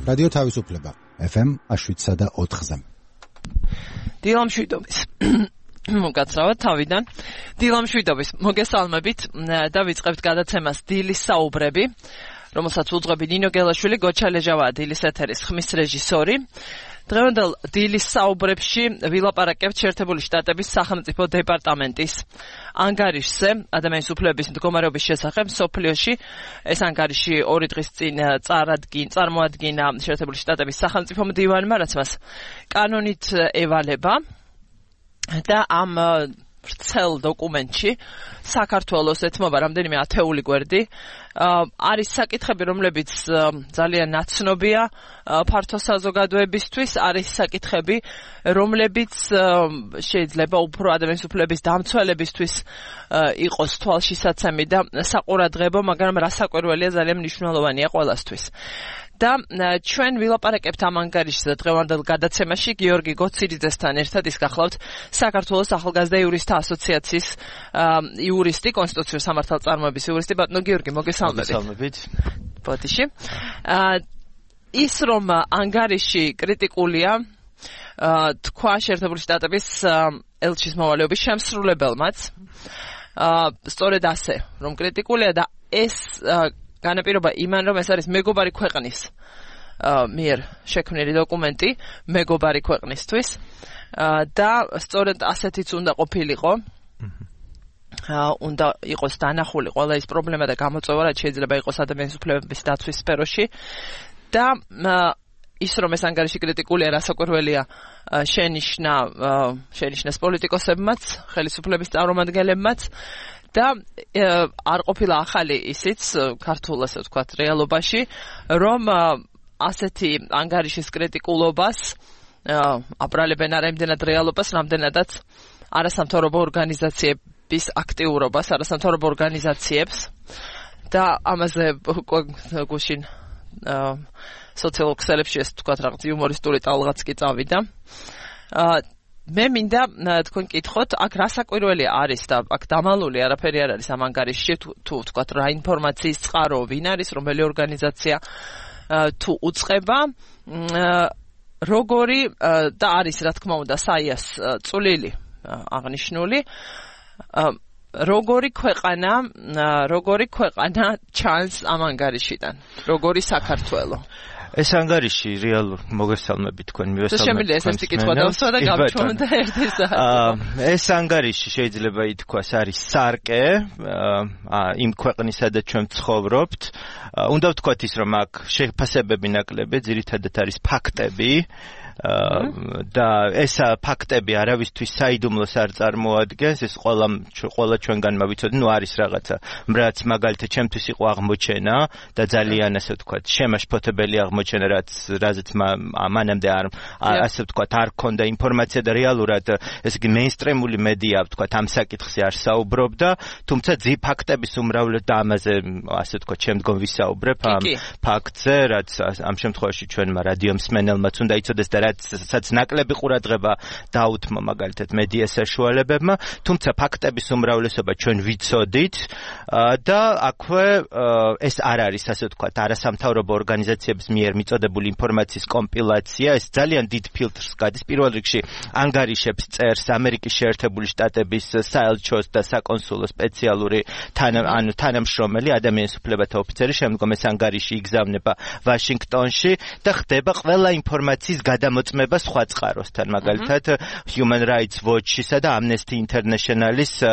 რადიო თავისუფლება FM 7.4-ზე. დილამშვიდობის მოგაცრავთ თავიდან. დილამშვიდობის მოგესალმებით და ვიწყებთ გადაცემას დილის საუბრები, რომელსაც უძღვები ნინო გელაშვილი, გოჩა ლეჟავაა დილის ეთერის ხმის რეჟისორი. დღევანდელ დილის საუბრებში ვილაპარაკებთ შეერთებული შტატების სახელმწიფო დეპარტამენტის ანგარიშზე ადამიანის უფლებების მდგომარეობის შესახებ მსოფლიოში. ეს ანგარიში 2 დღის წინ წარმოადგინა შეერთებული შტატების სახელმწიფო მდივანმა, რაც მას კანონით ევალება და ამ ვრცელ დოკუმენტში საქართველოს ეთმობა რამდენიმე ათეული გვერდი. არის საკითხები, რომლებიც ძალიან ნაცნობია ფართო საზოგადოებისთვის, არის საკითხები, რომლებიც შეიძლება უფრო ადამიანის უფლების დამცველებისთვის იყოს თვალშისაცემი და საყურადღებო, მაგრამ რასაკვირველია, ძალიან მნიშვნელოვანია ყველასთვის. და ჩვენ ვილაპარაკებთ ამ ანგარიშზე დღევანდელ გადაცემაში გიორგი გოციძესთან ერთად. ის გახლავთ საქართველოს ახალგაზრდა იურისტთა ასოციაციის იურისტი, კონსტიტუციურ სამართალწარმოების იურისტი. ბატონო გიორგი, მოგესალმებით. ბოდიში. ის რომ ანგარიში კრიტიკულია, თქვა შეერთებული შტატების ელჩის მოვალეობის შემსრულებელმაც. სწორედ ასე, რომ კრიტიკულია და ეს განაპირობა იმან, რომ ეს არის მეგობარი ქვეყნის მიერ შექმნილი დოკუმენტი, მეგობარი ქვეყნისთვის და სწორედ ასეთიც უნდა ყოფილიყო. უნდა იყოს დანახული ყველა ის პრობლემა და გამოწვევა, რაც შეიძლება იყოს ადამიანის უფლებების დაცვის სფეროში და ის რომ ეს ანგარიში კრიტიკულია, რასაკვირველია, შენიშნეს პოლიტიკოსებმაც, ხელისუფლების წარმომადგენლებმაც და არ ყოფილა ახალი ისიც ქართულ, ასე ვთქვათ, რეალობაში, რომ ასეთი ანგარიშის კრიტიკულობას აბრალებენ არ იმდენად რეალობას, რამდენადაც არასამთავრობო ორგანიზაციების აქტიურობას, არასამთავრობო ორგანიზაციებს და ამაზე გუშინ სოციალურ ქსელებში ეს ვთქვათ რაღაც იუმორისტული ტალღაც კი წავიდა. მე მინდა თქვენ კითხოთ, აქ რასაკვირველია არის და აქ დამალული არაფერი არ არის ამ ანგარიშში, თუ ვთქვათ რა ინფორმაციის წყარო, ვინ არის, რომელი ორგანიზაცია თუ უწყება, როგორი და არის რა თქმა უნდა საიას წვლილი აღნიშნული, როგორი ქვეყანა ჩანს ამ ანგარიშიდან, როგორი საქართველო. ეს ანგარიში რეალურ მოგესალმებით თქვენ მივესალმებით. შემიძლია ეს კითხვა დავსვა და გავჩვენოთ ერთის. ეს ანგარიში შეიძლება ითქვას არის სარკე იმ ქვეყნისა და ჩვენ ვცხოვრობთ. უნდა ვთქვათ ის, რომ აქ შეფასებები ნაკლები, ძირითადად არის ფაქტები. და ეს ფაქტები არავისთვის საიდუმლოს არ წარმოადგენს, ეს ყველა ჩვენგანმა ვიცოდი, არის რაღაცა, რაც მაგალითად ჩემთვის იყო აღმოჩენა და ძალიან ასე ვთქვათ, შემაშფოთებელი აღმოჩენა, რაზეც მანამდე ასე ვთქვათ, არ ქონდა ინფორმაცია და რეალურად ესე იგი მეინსტრიმული მედია ვთქვათ ამ საკითხზე არ საუბრობდა, თუმცა ფაქტების უმრავლესობა და ამაზე ასე ვთქვათ, შემდგომ ვისაუბრებ ამ ფაქტზე, რაც ამ შემთხვევაში ჩვენმა რადიო მსმენელმაც უნდა იცოდეს და რაც ნაკლები ყურადღება დაუთმო მაგალითად მედია საშუალებებმა, თუმცა ფაქტების უმრავლესობა ჩვენ ვიცოდით და აქვე ეს არ არის ასე ვთქვათ არასამთავრობო ორგანიზაციების მიერ მიწოდებული ინფორმაციის კომპილაცია, ეს ძალიან დიდ ფილტრს გადის. პირველ რიგში ანგარიშებს წერს ამერიკის შეერთებული შტატების საელჩოს და საკონსულო სპეციალური თანამშრომელი ადამიანის უფლებათა ოფიცერი, შემდგომ ეს ანგარიში იგზავნება ვაშინგტონში და ხდება ყველა ინფორმაციის გადამოწმება სხვა წყაროსთან, მაგალითად Human Rights Watch-ისა და Amnesty International-ის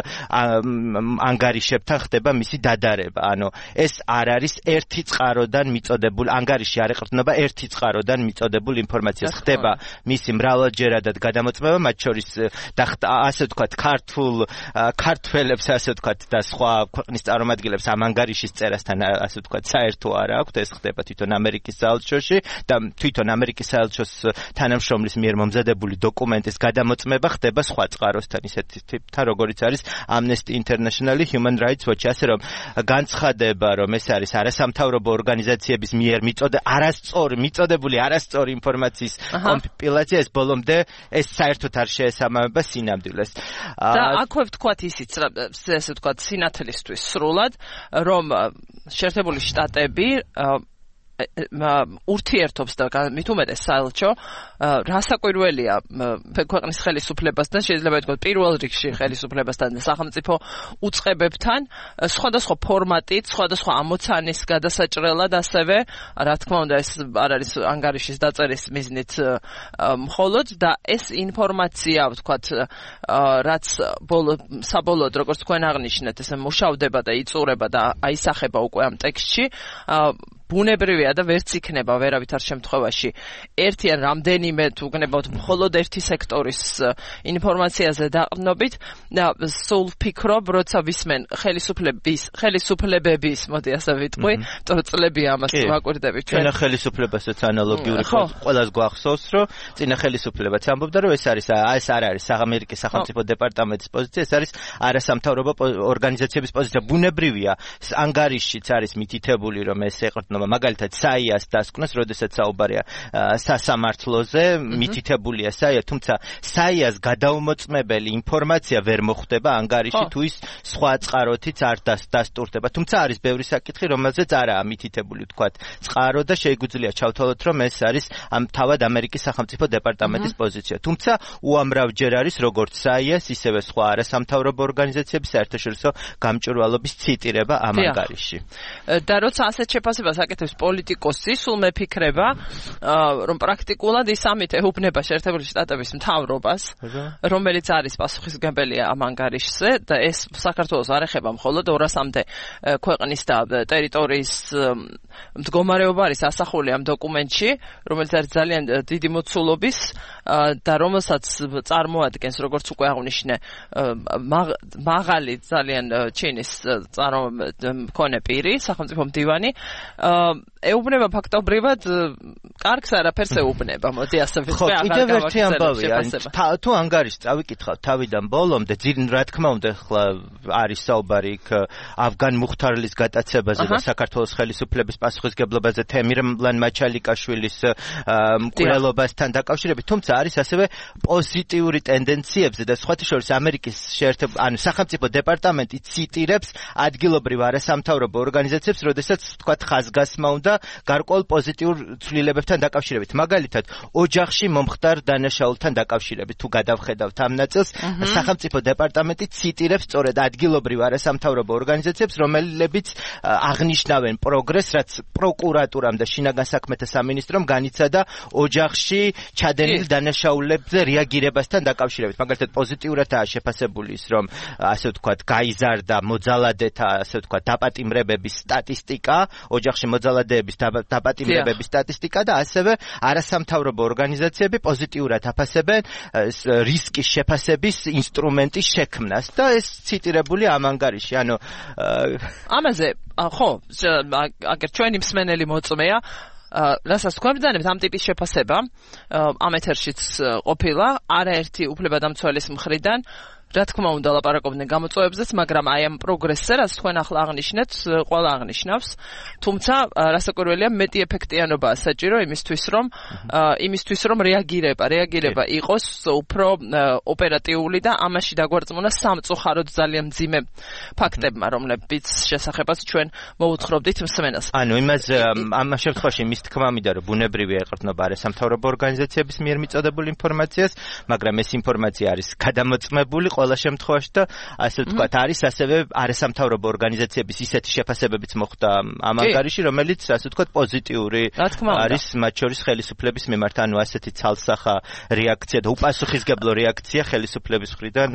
ანგარიშებთან ხდება მისი დადარება. ანუ ეს არ არის ერთი წყაროდან მიწოდებული ანგარიში, არ ეყრდნობა ერთი წყაროდან მიწოდებულ ინფორმაციას, ხდება მისი მრავალჯერადად გადამოწმება, მათ შორის ასე ვთქვათ ქართველებს ასე ვთქვათ და სხვა ქვეყნის წარმომადგენლებს ამ ანგარიშის წერასთან ასე ვთქვათ საერთო არ აქვთ, ეს ხდება თვითონ ამერიკის საელჩოში და თვითონ ამერიკის საელჩოს თანამშრომლის მიერ მომზადებული დოკუმენტის გადამოწმება ხდება სხვა წყაროსთან, ისეთი ტიპთან, როგორიც არის Amnesty International, Human Rights Watch, ასე რომ განცხადება, რომ ეს არის არასამთავრობო ორგანიზაციების მიერ მიწოდებული არასწორი ინფორმაციის კომპილაცია, ეს ბოლომდე ეს საერთოდ არ შეესაბამება სინამდვილეს. და აქვე ვთქვათ ისიც, ესე ვთქვათ, სინათლისთვის სრულად, რომ შეერთებული შტატები ურთიერთობს და მით უმეტეს საელჩო რასაკვირველია ქვეყნის ხელისუფლებასთან შეიძლება ითქვას პირველ რიგში ხელისუფლებასთან და სახელმწიფო უწყებებთან სხვადასხვა ფორმატით, სხვადასხვა ამოცანის გადასაჭრელად ასევე რა თქმა უნდა ეს არ არის ანგარიშის დაწერის მიზნით მხოლოდ და ეს ინფორმაცია ვთქვათ რაც საბოლოოდ როგორც თქვენ აღნიშნეთ ესე მუშავდება და იწურება და აისახება უკვე ამ ტექსტში ბუნებრივია და ვერც იქნება ვერავითარ შემთხვევაში ერთი ან რამდენიმე თუ გნებავთ მხოლოდ ერთი სექტორის ინფორმაციაზე დაყრდნობით და სულ ვფიქრობ როცა ვისმენ ხელისუფლებების მოდი ასე ვიტყვი წლებია ამას ვაკვირდებით ჩვენ ხელისუფლებასაც ანალოგიური ყველას გვახსოვს რომ წინა ხელისუფლებაც ამბობდა რომ ეს არ არის ამერიკის სახელმწიფო დეპარტამენტის პოზიცია ეს არის არასამთავრობო ორგანიზაციების პოზიცია ბუნებრივია ანგარიშიც არის მითითებული რომ ეს ეყრდნობა მაგალითად საიას დასკვნას როდესაც საუბარია სასამართლოზე მითითებულია საია თუმცა საიას გადაუმოწმებელი ინფორმაცია ვერ მოხვდება ანგარიში თუ ის სხვა წყაროთიც არ დასტურდება თუმცა არის ბევრი საკითხი რომელზეც არაა მითითებული თქვათ წყარო და შეგვიძლია ჩავთვალოთ რომ ეს არის თავად ამერიკის სახელმწიფო დეპარტამენტის პოზიცია თუმცა უამრავჯერ არის როგორც საიას ისევე სხვა არასამთავრობო ორგანიზაციების საერთაშორისო გამჭვირვალობის ციტირება ამ ანგარიშში და როცა ასეთ შეფასებას აკეთებს პოლიტიკოსი სულ მეფიქრება რომ პრაქტიკულად ის ამით ეუბნება შეერთებული შტატების მთავრობას რომელიც არის პასუხისმგებელი ამ ანგარიშზე და ეს საქართველოს არ ეხება მხოლოდ 200-მდე ქვეყნის და ტერიტორიის მდგომარეობა არის ასახული ამ დოკუმენტში რომელიც არის ძალიან დიდი მოცულობის და რომელსაც წარმოადგენს როგორც უკვე აღნიშნე მაღალი ძალიან ჩინის მქონე პირი სახელმწიფო მდივანი ეუბნება ფაქტობრივად კარგს არაფერს ეუბნება მოდი ასე ვთქვი კიდევ ერთი ამბავია თუ ანგარიშს წავიკითხავთ თავიდან ბოლომდე რა თქმა უნდა ხლა არის საუბარი იქ ავგან მუხთარლის გატაცებაზე და საქართველოს ხელისუფლების პასუხისგებლობაზე თემირლან მაჩალიკაშვილის მკვლელობასთან დაკავშირებით თუმცა არის ასევე პოზიტიური ტენდენციებზე და სხვათა შორის ამერიკის სახელმწიფო დეპარტამენტი ციტირებს ადგილობრივ არასამთავრობო ორგანიზაციებს როდესაც თქვა ხაზგასმა უნდა გარკვეულ პოზიტიურ ცვლილებებთან დაკავშირებით მაგალითად ოჯახში მომხდარ დანაშაულთან დაკავშირებით თუ გადავხედავთ ამ ნაწილს სახელმწიფო დეპარტამენტი ციტირებს სწორედ ადგილობრივ არასამთავრობო ორგანიზაციებს რომლებიც აღნიშნავენ პროგრესს რაც პროკურატურამ და შინაგან საქმეთა სამინისტრომ განიცადა ოჯახში ჩადენილ დანაშაულებზე რეაგირებასთან დაკავშირებით მაგალითად პოზიტიურადაა შეფასებული ის რომ ასე ვთქვათ გაიზარდა მოძალადეთა ასე ვთქვათ დაპატიმრებების სტატისტიკა ოჯახში მოძალადეების დაპატიმრებების სტატისტიკა და ასევე არასამთავრობო ორგანიზაციები პოზიტიურად აფასებენ რისკის შეფასების ინსტრუმენტის შექმნას და ეს ციტირებული ამ ანგარიში ანუ ამაზე ხო აგერ ჩვენი მსმენელი მოწმეა რასაც თქვენ ბრძანებთ ამ ტიპის შეფასება ამ ეთერშიც ყოფილა არაერთი უფლებადამცველის მხრიდან რა თქმა უნდა ლაპარაკობდნენ გამოწვევებზეც, მაგრამ აი ამ პროგრესზე, რაც თქვენ ახლა აღნიშნეთ, ყველა აღნიშნავს. თუმცა რასაკვირველია, მეტი ეფექტიანობაა საჭირო იმისთვის რომ რეაგირება იყოს უფრო ოპერატიული და ამაში დაგვარწმუნა სამწუხაროდ ძალიან მძიმე ფაქტებმა, რომლებიც შესახებაც ჩვენ მოუთხრობდით მსმენელს. ანუ იმაზე ამ შემთხვევაში მის თქმა მინდა რომ ბუნებრივია ეყრდნობა არასამთავრობო ორგანიზაციების მიერ მიწოდებულ ინფორმაციას, მაგრამ ეს ინფორმაცია არის გადამოწმებული ყველა შემთხვევაში და ასე ვთქვათ არის ასევე არასამთავრობო ორგანიზაციების ისეთი შეფასებებიც მოხდა ამ ანგარიში რომელიც ასე ვთქვათ პოზიტიური არის მათ შორის ხელისუფლების მიმართ ანუ ასეთი ცალსახა რეაქცია და უპასუხისმგებლო რეაქცია ხელისუფლების მხრიდან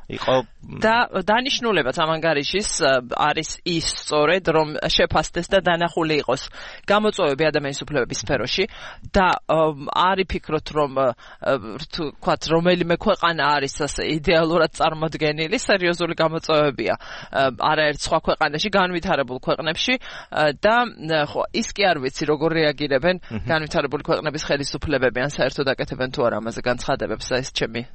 იყო და დანიშნულებაც ამ ანგარიშის არის ის სწორედ რომ შეფასდეს და დანახული იყოს გამოწვევები ადამიანის უფლებების სფეროში და არ იფიქროთ რომ თქვათ რომელიმე ქვეყანა არის ასე იდეალურად წარმოდგენილი სერიოზული გამოწვევებია არაერთ სხვა ქვეყანაში განვითარებულ ქვეყნებში და ხო ის კი არ ვიცი როგორ რეაგირებენ განვითარებული ქვეყნების ხელისუფლებები ან საერთოდ აკეთებენ თუ არა ამაზე განცხადებებს ეს ჩემი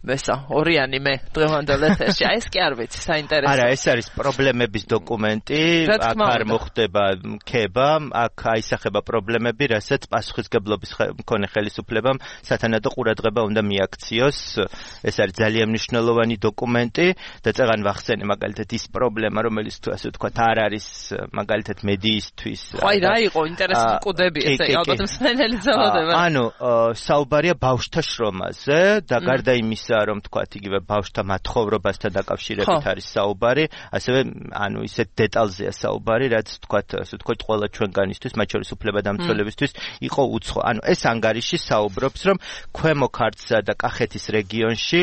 მესა ორიანი მე დღევანდელი დღევანდელ ეთერში. აი ეს კი არ ვიცი, საინტერესო. არა, ეს არის პრობლემების დოკუმენტი, აქ არ მოხდება ქება, აქ აისახება პრობლემები, რასაც პასუხისგებლობის მქონე ხელისუფლებამ სათანადო ყურადღება უნდა მიაქციოს. ეს არის ძალიან მნიშვნელოვანი დოკუმენტი და წეგან ვახსენე მაგალითად ის პრობლემა, რომელიც თუ ასე ვთქვათ, არ არის მაგალითად მედიისთვის. აი რა იყო ინტერესული კუდები ესე, ალბათ მსმენელი ძალოდება. ანუ საუბარია ბავშვთა შრომაზე და გარდა იმისა, რომ თქვათ იგივე ბავშვთა მათხოვრობასთან დაკავშირებით არის საუბარი, ასევე ანუ ისეთ დეტალზეა საუბარი, რაც თქვათ, ასე ვთქვათ, ყველა ჩვენგანისთვის, მათ შორის უფლებადამცველებისთვის იყო უცხო. ანუ ეს ანგარიში საუბრობს, რომ ქვემო ქართლსა და კახეთის რეგიონში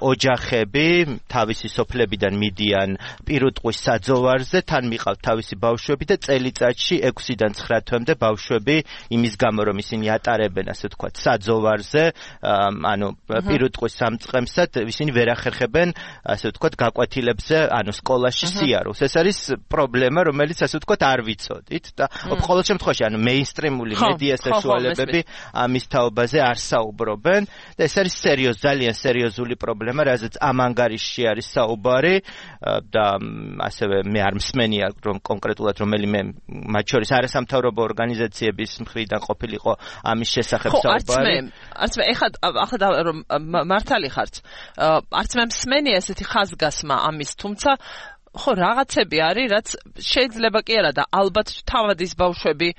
ოჯახები თავისი სოფლებიდან მიდიან პირუტყვის საძოვარზე, თან მიყავთ თავისი ბავშვები და წელიწადში 6-დან 9 თვემდე ბავშვები იმის გამო, რომ ისინი ატარებენ, ასე ვთქვათ, საძოვარზე, ანუ პირუტყვის სამწყემსად, ისინი ვერ ახერხებენ, ასე ვთქვათ, გაკვეთილებზე, ანუ სკოლაში სიარულს. ეს არის პრობლემა, რომელიც ასე ვთქვათ, არ ვიცოდით და ყოველ შემთხვევაში, ანუ მეინსტრიმული მედია სექსუალებები ამის თაობაზე არ საუბრობენ და ეს არის ძალიან სერიოზული პრობლემა, რაზეც ამ ანგარიშში არის საუბარი და ასევე მე არ მსმენია, რომ კონკრეტულად რომელიმე მათ შორის არასამთავრობო ორგანიზაციების მხრიდან ყოფილიყო ამის შესახებ საუბარი. არც მე ახლა რომ მართალი ხართ, არც მე მსმენია ესეთი ხაზგასმა ამის, თუმცა ხო რაღაცები არის, რაც შეიძლება კი არა და ალბათ თავად ის ბავშვები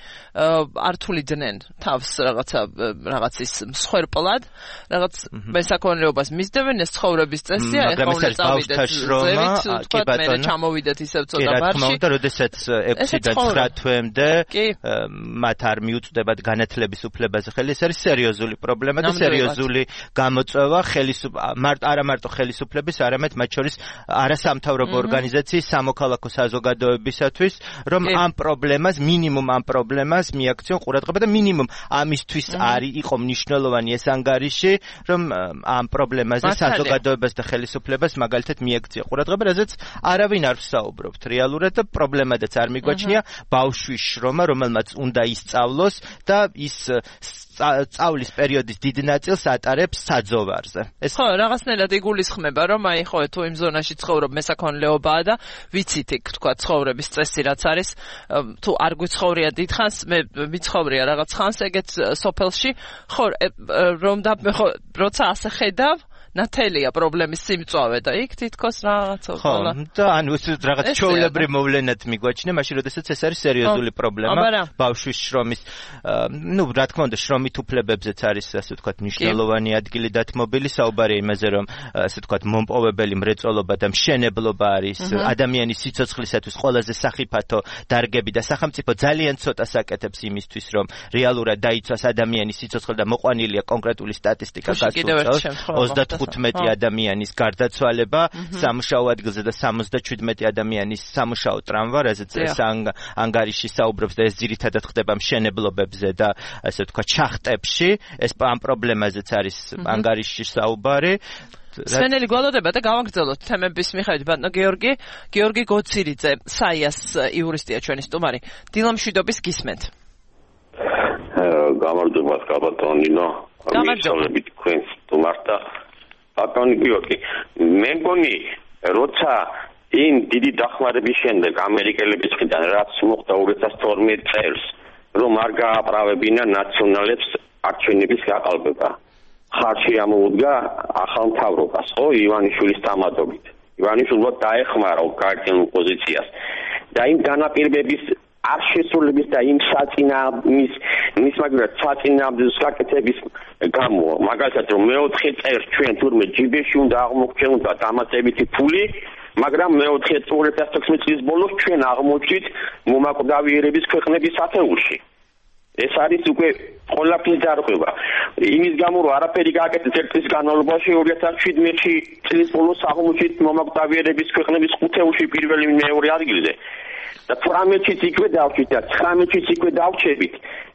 არ თulidznen თავს რაღაცის მსხვერპლად, რაღაც მესაქონლეობას მისდევენ, ეს ცხოვრების წესია, ეხლა უნდა წავიდეთ ზევით, თქვათ მე ჩამოვიდეთ ისევ ცოტა ბარში. რა თქმა უნდა, როდესაც 6-დან 9 თვემდე მათ არ მიუწვდებათ განათლების უფლებაზე ხელი, ეს არის სერიოზული პრობლემა და სერიოზული გამოწვევა არა მარტო ხელისუფლების, არამედ მათ შორის არასამთავრობო ორგანიზაციების სამოქალაქო საზოგადოებისათვის, რომ ამ პრობლემას მიაქციონ ყურადღება და მინიმუმ ამისთვის იყო მნიშვნელოვანი ეს ანგარიში, რომ ამ პრობლემაზე საზოგადოებას და ხელისუფლებას მაგალითად მიაქცია ყურადღება, რაზეც არავინ არ ვსაუბრობთ რეალურად და პრობლემადაც არ მიგვაჩნია ბავშვის შრომა, რომელმაც უნდა ისწავლოს და ის სწავლის პერიოდის დიდ ნაწილს ატარებს საძოვარზე. ხო, რაღაცნაირად იგულისხმება, რომ აი ხო თუ იმ ზონაში ცხოვრობ მესაქონლეობაა და ვიცით იქ თქვა ცხოვრების წესი რაც არის, თუ არ გვიცხოვრია დიდხანს, მე ვიცხოვრია რაღაც ხანს ეგეთ სოფელში, ხო რომ და ხო როცა ასე ხედავ ნათელია პრობლემის სიმწვავე და იქ თითქოს რაღაცა ხოლმე. ხო, და ანუ რაღაც ჩვეულებრივ მოვლენად მიგვაჩნია, მაშინ როდესაც ეს არის სერიოზული პრობლემა ბავშვის შრომის, რა თქმა უნდა, შრომით უფლებებზეც არის, ასე ვთქვათ, მნიშვნელოვანი ადგილი დათმობილი, საუბარია იმაზე, რომ ასე ვთქვათ, მომპოვებელი მრეწველობა და მშენებლობა არის ადამიანის სიცოცხლისათვის ყველაზე სახიფათო დარგები და სახელმწიფო ძალიან ცოტას აკეთებს იმისთვის, რომ რეალურად დაიცვას ადამიანის სიცოცხლე და მოყვანილია კონკრეტული სტატისტიკა გასულწევს. 15 ადამიანის გარდაცვალება სამუშაო ადგილზე და 77 ადამიანის სამუშაო ტრამვა, რაზეც ეს ანგარიში საუბრობს და ეს ძირითადად ხდება მშენებლობებზე და ასე ვთქვათ შახტებში, ეს ამ პრობლემაზეც არის ანგარიში საუბარი. სვენელი გვალოდება და გავაგრძელოთ თემების მიხედვით. ბატონო გიორგი გოცირიძე, საიას იურისტია ჩვენი სტუმარი. დილამშვიდობის გისმენთ. გამარჯობა ბატონო ნინო. გამარჯობა თქვენს სტუმართა. ბატონი გიორგი, მე მგონი, როცა იმ დიდი დახმარების შემდეგ ამერიკელების მხრიდან რაც მოხდა 2012 წელს, რომ არ გააправებინა ნაციონალებს არჩევნების გაყალბება. ხარში ამოუდგა ახალ მთავრობას, ხო, ივანიშვილის დამატებით. ივანიშვილმა დაეხმარა გარდიულ პოზიციას. და იმ განაპირობების არ შესრულების და იმ საწინააღმდეგო საკითხების გამო, მაგალითად რომ მეოთხე წელს ჩვენ თურმე ჯიბეში უნდა აღმოჩნდა დამატებითი ფული, მაგრამ მეოთხე 2016 წლის ბოლოს ჩვენ აღმოჩნდით მომაკვდავიერების ქვეყნების ათეულში. ეს არის უკვე ყველაფრის დარღვევა. იმის გამო რომ არაფერი გააკეთეს ერთ წლის განმავლობაში 2017 წლის ბოლოს აღმოჩნდით მომაკვდავიერების ქვეყნების ხუთეულში პირველი მეორე ადგილზე. და 18-ში იქვე დავჭით და 19-ში იქვე დავჩებით.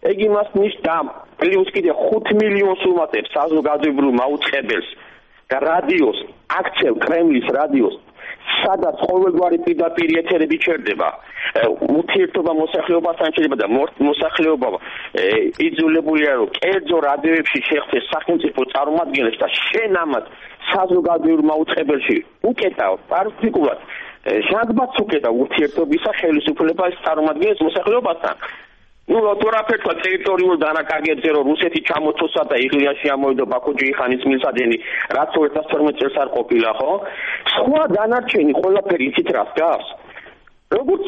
ეგ იმას ნიშნავს პლუს კიდე 5 მილიონს უმატებს საზოგადოებრივ მაუწყებელს და რადიოს, აქცევ კრემლის რადიოს სადაც ყოველგვარი პირდაპირ ეთერები ჩერდება ურთიერთობა მოსახლეობასთან შეიძლება და მოსახლეობა იძულებულია რომ კერძო რადიოებში შეხვდეს სახელმწიფო წარმომადგენლებს და შენ ამას საზოგადოებრივ მაუწყებელში უკეტავ პარტიკულად შეგბაც უკეტავ ურთიერთობისა ხელისუფლებას წარმომადგენლებს მოსახლეობასთან თორაფერთა ტერიტორიულ დანაკარგებზე რომ რუსეთი ჩამოთოსა და იღლიაში ამოვიდა ბაქო-ჯეიხანის მილსადენი რაც 2012 წელს არ ყოფილა ხო სხვა დანარჩენი ყველაფერი იცით რას გავს როგორც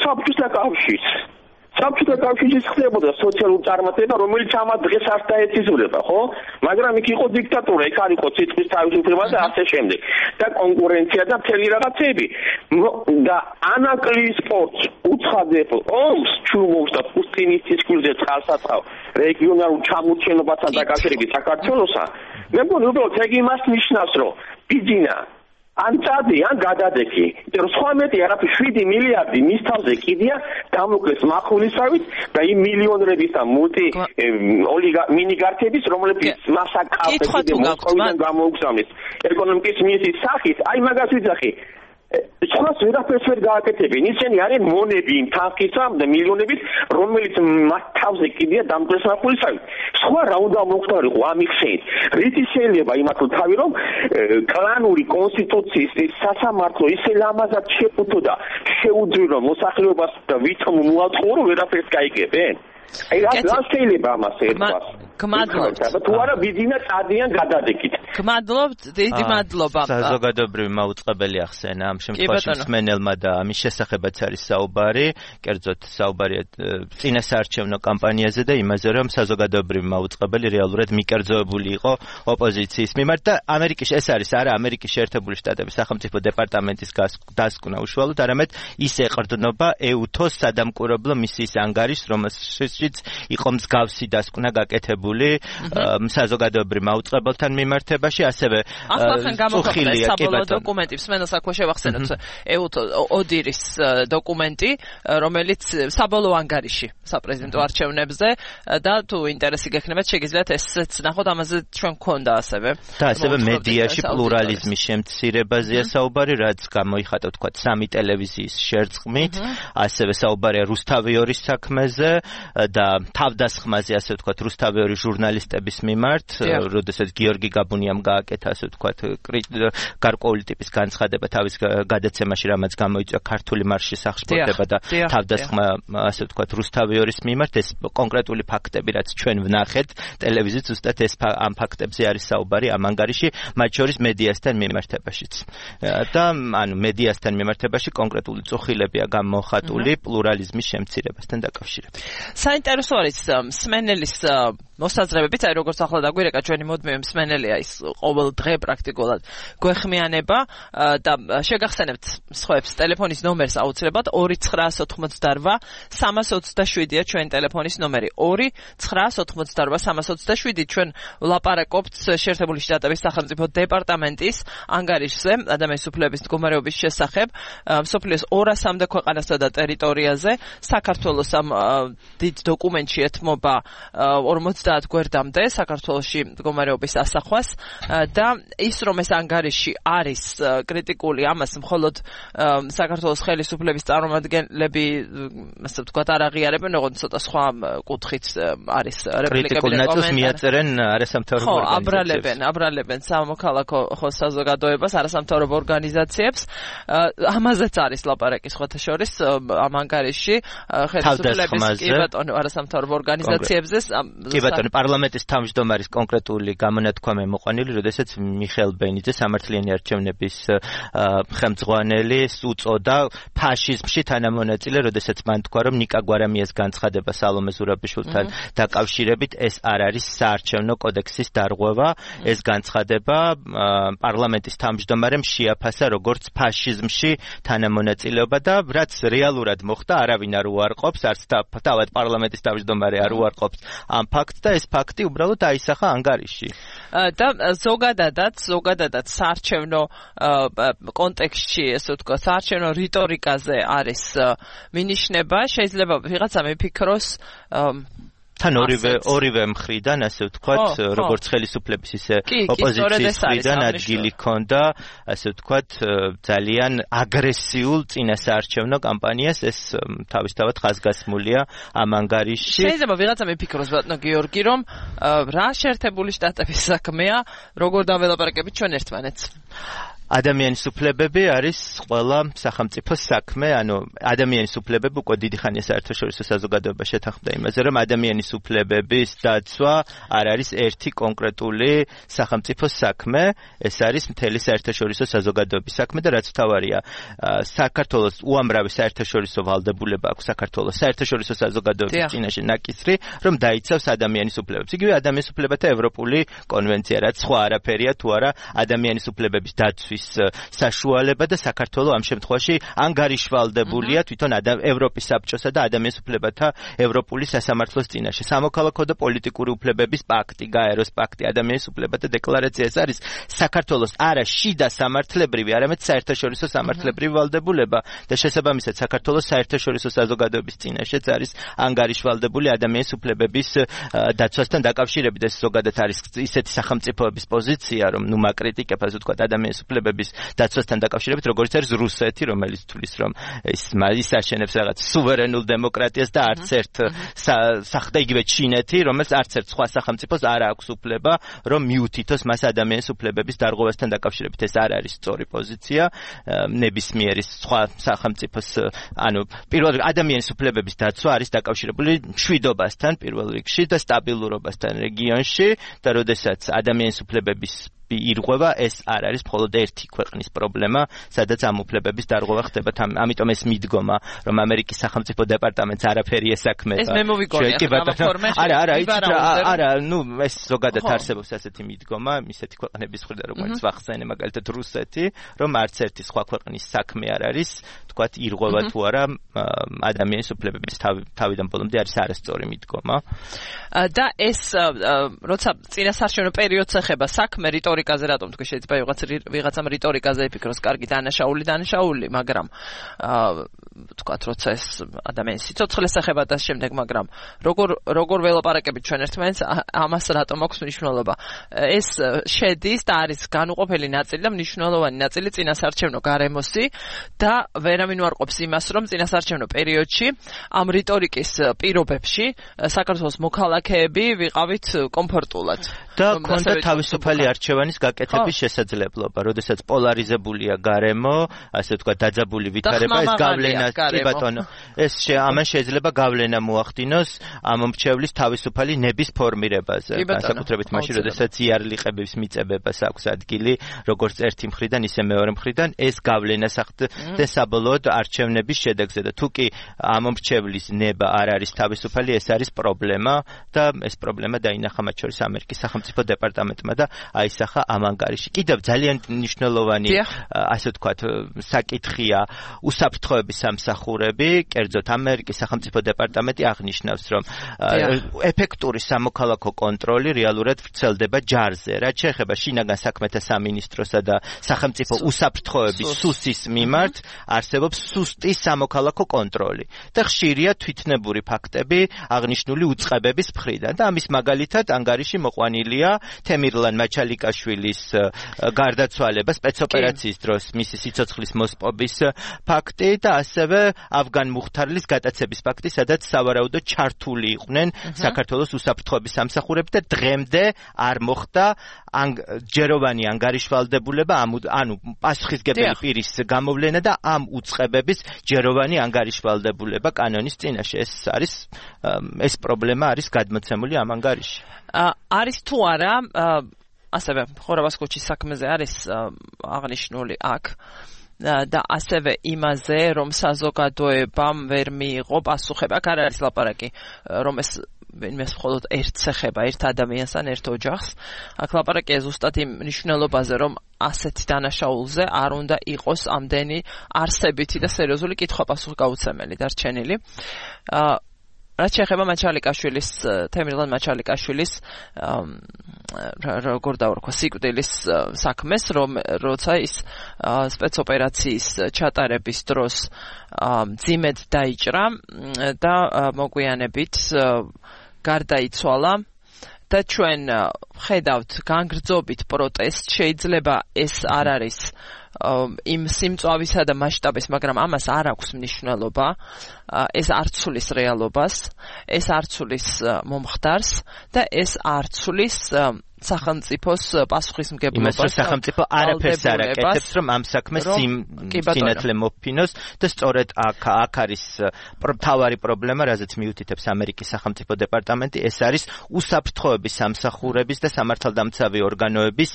საბჭოთა კავშირის ხდებოდა სოციალური წარმატება რომელიც ამას დღეს არ დაეციზულება ხო მაგრამ იქ იყო დიქტატურა იქ არ იყო ციტყვის თავისუფლება და ასე შემდეგ და კონკურენცია და მთელი რაღაცები და ანაკლიის სპორტს უცხადებ ომს ჩუმობს და პუსტინის ცისკვილზე წყალსაცავ რეგიონალურ ჩამორჩენობასთან დაკავშირებით საქართველოსა მე მგონი უბრალოდ ეგ იმას ნიშნავს რომ ბიძინა ან წადი ან გადადექი იმიტომ რომ სხვა მეტი არაფერი 7 მილიარდი მის თავზე კიდია დამოკლეს მახვილისავით და იმ მილიონერების და მინიგარქების რომლებიც მასაკავეს მოსკოვიდან გამოუგზავნეს ეკონომიკის მინისტრის სახით აი მაგას ვიძახი სხვას ვერაფერს ვერ გააკეთებენ ისინი არიან მონები იმ თანხისა და მილიონებით რომელიც მათ თავზე კიდია დამკვეს მახვილისავით სხვა რა უნდა მოხდარიყო ამ ხსენით რითი შეიძლება იმათო თავი რომ კლანური კონსტიტუციის სასამართლო ისე ლამაზად შეფუთო და შეუძლირო მოსახლეობას და ვითომ მოაწყო რომ ვერაფერს გაიგებენ აი რა შეიძლება ამას ერთვას გმადლობთ თუ არა ვიძინა წადიან გადადეკით გმადლობთ დიდი მადლობა საზოგადოებრივი მაუწყებელი ახსენა ამ შემთხვევაში მსმენელმა და ამის შესახებაც არის საუბარი კერძოდ საუბარია წინასაარჩევნო კამპანიაზე და იმაზე რომ საზოგადოებრივი მაუწყებელი რეალურად მიკერძოებული იყო ოპოზიციის მიმართ და ამერიკის ეს არის არა ამერიკის შეერთებული შტატების სახელმწიფო დეპარტამენტის დასკვნა უშუალოდ არამედ ის ეყრდნობა EUTO-ს სადამკვირვებლო მისიის ანგარიშს რომელშიც იყო მსგავსი დასკვნა გაკეთებული საზოგადოებრივ მაუწყებელთან მიმართებაში ასევე წუხილია საბოლოო დოკუმენტი მსმენელს აქვე შევახსენოთ ოდირის დოკუმენტი რომელიც საბოლოო ანგარიში საპრეზიდენტო არჩევნებზე და თუ ინტერესი გექნებათ შეგიძლიათ ესეც ნახოთ ამაზე ჩვენ გქონდა ასევე და ასევე მედიაში პლურალიზმის შემცირებაზეა საუბარი რაც გამოიხატა თქვა სამი ტელევიზიის შერწყმით ასევე საუბარია რუსთავიორის საქმეზე და თავდასხმაზე ასე ვთქვათ რუსთავიორის ჟურნალისტების მიმართ, როდესაც გიორგი გაბუნიამ გააკეთა ასე ვთქვათ გარკვეული ტიპის განცხადება თავის გადაცემაში, რამაც გამოიწვია ქართული მარშის აღშფოთება და თავდასხმა ასე ვთქვათ რუსთავიორის მიმართ, ეს კონკრეტული ფაქტები, რაც ჩვენ ვნახეთ ტელევიზიით, ზუსტად ეს ამ ფაქტებზე არის საუბარი ამ ანგარიში, მათ შორის მედიასთან მიმართებაშიც. და ანუ მედიასთან მიმართებაში კონკრეტული წუხილებია გამოხატული პლურალიზმის შემცირებასთან დაკავშირებით. საინტერესო არის მსმენელის მოსაზრებებით, აი როგორც ახლა დაგვირეკა ჩვენი მუდმივი მსმენელია ის ყოველ დღე პრაქტიკულად გვეხმიანება და შეგახსენებთ სხვებს ტელეფონის ნომერს აუცილებლად 2988327-ია ჩვენი ტელეფონის ნომერი 2988327 ჩვენ ვლაპარაკობთ შეერთებული შტატების სახელმწიფო დეპარტამენტის ანგარიშზე ადამიანის უფლებების მდგომარეობის შესახებ მსოფლიოს 200-მდე ქვეყანასა და ტერიტორიაზე საქართველოს ამ დიდ დოკუმენტში ეთმობა 50 გვერდამდე საქართველოში მდგომარეობის ასახვას და ის რომ ეს ანგარიში არის კრიტიკული ამას მხოლოდ საქართველოს ხელისუფლების წარმომადგენლები ასე ვთქვათ არ აღიარებენ, როგორც ცოტა სხვა კუთხით არის რეპლიკები და კომენტარები მიაწერენ არასამთავრობო ორგანიზაციებს. აბრალებენ სამოქალაქო საზოგადოებას, არასამთავრობო ორგანიზაციებს. ამაზეც არის ლაპარაკი სხვათა შორის ამ ანგარიში ხელისუფლების კი ბატონო არასამთავრობო ორგანიზაციებზე პარლამენტის თავმჯდომარის კონკრეტული გამონათქვამი მოყვანილი, როდესაც მიხეილ ბენიძე სამართლიანი არჩევნების ხელმძღვანელი უწოდა ფაშიზმში თანამონაწილე, როდესაც მან თქვა, რომ ნიკა გვარამიას განცხადება სალომე ზურაბიშვილთან დაკავშირებით ეს არ არის საარჩევნო კოდექსის დარღვევა, ეს განცხადება პარლამენტის თავმჯდომარემ შეაფასა როგორც ფაშიზმში თანამონაწილეობა და რაც რეალურად მოხდა, არავინ არ უარყოფს, არც თავად პარლამენტის თავმჯდომარე არ უარყოფს ამ ფაქტს და ეს ფაქტი უბრალოდ აისახა ანგარიში. და ზოგადადაც საარჩევნო კონტექსტში, ესე ვთქვა, საარჩევნო რიტორიკაზე არის მინიშნება, შეიძლება ვიღაცა მიფიქროს თან ორივე მხრიდან, ასე ვთქვათ, როგორც ხელისუფლების ისე ოპოზიციის მხრიდან ადგილი ჰქონდა, ასე ვთქვათ, ძალიან აგრესიულ წინასაარჩევნო კამპანიას ეს თავისთავად ხაზგასმულია ამ ანგარიშში. შეიძლება ვიღაცა მიფიქროს ბატონო გიორგი, რომ რა შეერთებული შტატების საქმეა, როგორ დაველაპარაკებით ჩვენ ერთმანეთს. ადამიანის უფლებები არის ყველა სახელმწიფოს საქმე, ანუ ადამიანის უფლებები უკვე დიდი ხანია საერთაშორისო საზოგადოება შეთანხმდა იმაზე, რომ ადამიანის უფლებების დაცვა არ არის ერთი კონკრეტული სახელმწიფოს საქმე, ეს არის მთელი საერთაშორისო საზოგადოების საქმე და რაც თავარია, საქართველოს უამრავი საერთაშორისო ვალდებულება აქვს საქართველოს საერთაშორისო საზოგადოების წინაშე ნაკისრი, რომ დაიცავს ადამიანის უფლებებს. იგივე ადამიანის უფლებათა ევროპული კონვენცია, რაც სხვა არაფერია თუ არა ადამიანის უფლებების დაცვის საშუალება და საქართველოს ამ შემთხვევაში ანგარიშვალდებულია თვითონ ევროპის საბჭოსა და ადამიანის უფლებათა ევროპული სასამართლოს წინაშე. სამოქალაქო და პოლიტიკური უფლებების პაქტი, გაეროს პაქტი, ადამიანის უფლებათა დეკლარაცია ეს არის საქართველოს არა შიდა სამართლებრივი, არამედ საერთაშორისო სამართლებრივი ვალდებულება და შესაბამისად საქართველოს საერთაშორისო საზოგადოების წინაშეც არის ანგარიშვალდებული ადამიანის უფლებების დაცვასთან დაკავშირებით. ეს ზოგადად არის ისეთი სახელმწიფოების პოზიცია, რომ ნუ მაკრიტიკებ, ასე ვთქვათ, ადამიანის უფლებების დაცვასთან დაკავშირებით, როგორც არის რუსეთი, რომელიც თulis რომ ის აშენებს რაღაც სუვერენულ დემოკრატიას და არც ერთ და იგივე ჩინეთი, რომელიც არც ერთ სხვა სახელმწიფოს არ აქვს უფლება, რომ მიუთითოს მას ადამიანის უფლებების დარღვევასთან დაკავშირებით. ეს არ არის სწორი პოზიცია ნებისმიერი სხვა სახელმწიფოს, ანუ პირველ რიგში ადამიანის უფლებების დაცვა არის დაკავშირებული მშვიდობასთან პირველ რიგში და სტაბილურობასთან რეგიონში და როდესაც ადამიანის უფლებების ირღვევა, ეს არ არის მხოლოდ ერთი ქვეყნის პრობლემა, სადაც ამ უფლებების დარღვევა ხდება. ამიტომ ეს მიდგომა, რომ ამერიკის სახელმწიფო დეპარტამენტს არაფერი ესაქმება. ეს მე მოვიგონია ამ ფორმაში. არა, ნუ ეს ზოგადად არსებობს ასეთი მიდგომა, ისეთი ქვეყნების მხრიდან, როგორც ვახსენე, მაგალითად რუსეთი, რომ არც ერთი სხვა ქვეყნის საქმე არ არის, თქვათ, ირღვევა თუ არა ადამიანის უფლებების თავიდან ბოლომდე არის არასწორი მიდგომა. და ეს როცა წინასაარჩევნო პერიოდს ეხება საქმე რიტორიკაზე, რატომ თქვი შეიძლება ვიღაცამ რიტორიკაზე იფიქროს, კარგი დანაშაული, მაგრამ თქვათ, როცა ეს ადამიანის სიცოცხლეს ეხება და შემდეგ, მაგრამ როგორ ველაპარაკებით ჩვენ ერთმანეთს, ამას რატომ აქვს მნიშვნელობა? ეს შედის და არის განუყოფელი ნაწილი და მნიშვნელოვანი ნაწილი წინასაარჩევნო გარემოსი და ვერავინ უარყოფს იმას, რომ წინასაარჩევნო პერიოდში ამ რიტორიკის პირობებში საქართველოს მოქალაქეები ვიყავით კომფორტულად. და ქონდა თავისუფალი არჩევანის გაკეთების შესაძლებლობა, როდესაც პოლარიზებულია გარემო, ასე ვთქვათ, დაძაბული ვითარება, ეს გავლენა, კი ბატონო, ამან შეიძლება გავლენა მოახდინოს ამომრჩევლის თავისუფალი ნების ფორმირებაზე. განსაკუთრებით მაშინ, როდესაც იარლიყების მიწებებას აქვს ადგილი, როგორც ერთი მხრიდან, ისე მეორე მხრიდან, ეს გავლენას ახდენს საბოლოოდ არჩევნების შედეგზე და თუ კი ამომრჩევლის ნება არ არის თავისუფალი, ეს არის პრობლემა და ეს პრობლემა დაინახა მათ შორის ამერიკის სახელმწიფო დეპარტამენტმა და აისახა ამ ანგარიში. კიდევ ძალიან მნიშვნელოვანი, ასე ვთქვათ, საკითხია უსაფრთხოების სამსახურები, კერძოდ ამერიკის სახელმწიფო დეპარტამენტი აღნიშნავს, რომ ეფექტური სამოქალაქო კონტროლი რეალურად ვრცელდება ჯარზე, რაც შეეხება შინაგან საქმეთა სამინისტროსა და სახელმწიფო უსაფრთხოების სუსის მიმართ არსებობს სუსტი სამოქალაქო კონტროლი და ხშირია თვითნებური ფაქტები აღნიშნული უწყებების მხრიდან და ამის მაგალითად ანგარიში მოყვანილია თემირლან მაჩალიკაშვილის გარდაცვალება სპეცოპერაციის დროს მისი სიცოცხლის მოსპობის ფაქტი და ასევე ავგან მუხთარლის გატაცების ფაქტი, სადაც სავარაუდოდ ჩართული იყვნენ საქართველოს უსაფრთხოების სამსახურები და დღემდე არ მოხდა ჯეროვანი ანგარიშვალდებულება, ანუ პასუხისგებელი პირის გამოვლენა და ამ უწყებების ჯეროვანი ანგარიშვალდებულება კანონის წინაშე. ეს პრობლემა არის გადმოცემული ამ ანგარიში. არის თუ არა, ასევე ხორავას ქუჩის საქმეზე არის აღნიშნული აქ და ასევე იმაზე, რომ საზოგადოებამ ვერ მიიღო პასუხება. აქ არ არის ლაპარაკი, რომ ეს მხოლოდ ერთს ეხება, ერთ ადამიანს ან ერთ ოჯახს. აქ ლაპარაკია ზუსტად იმ მნიშვნელობაზე, რომ ასეთი დანაშაულზე არ უნდა იყოს ამდენი არსებითი და სერიოზული კითხვა-პასუხი გაუცემელი დარჩენილი. რაც შეეხება მაჩალიკაშვილის, თემირლან მაჩალიკაშვილის როგორ დავარქვა, სიკვდილის საქმეს, როცა ის სპეცოპერაციის ჩატარების დროს მძიმედ დაიჭრა და მოგვიანებით გარდაიცვალა და ჩვენ ხედავთ განგრძობით პროტესტ შეიძლება ეს არ არის იმ სიმწვავისა და მასშტაბის, მაგრამ ამას არ აქვს მნიშვნელობა. ეს არ ცulis რეალობას, ეს არ ცulis მომხდარს და ეს არ ცulis სახელმწიფოს პასუხისმგებლობას. იმას სახელმწიფო არაფერს არ აკეთებს, რომ ამ საქმეს სინათლე მოფინოს და სწორედ აქ არის მთავარი პრობლემა, რაზეც მიუთითებს ამერიკის სახელმწიფო დეპარტამენტი, ეს არის უსაფრთხოების სამსახურების და სამართალდამცავი ორგანოების